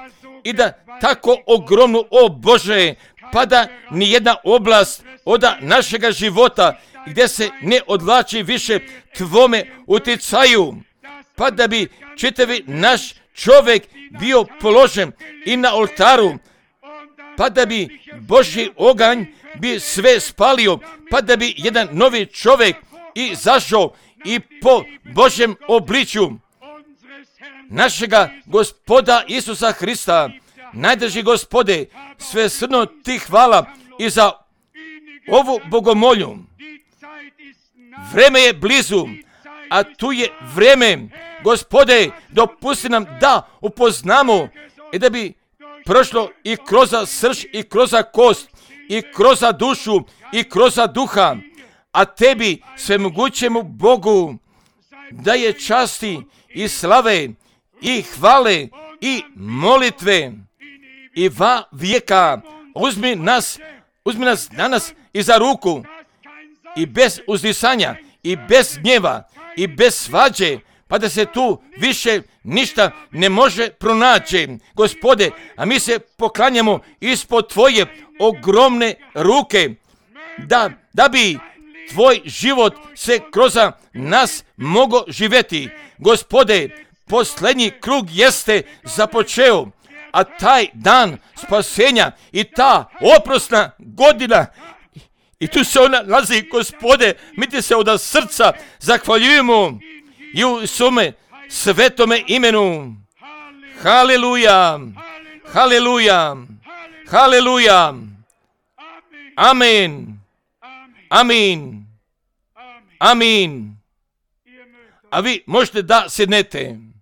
i da tako ogromno, o Bože, pa da nijedna oblast od našega života gdje se ne odlači više tvome utjecaju, pa da bi čitavi naš čovjek bio položen i na oltaru, pa da bi Božji oganj bi sve spalio, pa da bi jedan novi čovjek izašao i po Božjem obličju našega Gospoda Isusa Hrista. Najdrži Gospode, svesrdno ti hvala i za ovu bogomolju. Vreme je blizu, a tu je vreme. Gospode, dopusti nam da upoznamo i da bi prošlo i kroz srž, i kroz kost, i kroz dušu, i kroz duha, a tebi, svemogućemu Bogu, da je časti i slave, i hvale, i molitve, i va vijeka. Uzmi nas danas i za ruku, i bez uzdisanja, i bez gnjeva, i bez svađe, pa da se tu više ništa ne može pronaći. Gospode, a mi se poklanjamo ispod tvoje ogromne ruke, da bi tvoj život se kroz nas mogao živjeti. Gospode, posljednji krug jeste započeo, a taj dan spasenja i ta oprosna godina, i tu se ona nalazi, Gospode, mi ti se od srca zahvaljujemo i u svome svetome imenu. Haleluja, haleluja, haleluja. Amen, amin, amin. A vi možete da sjednete.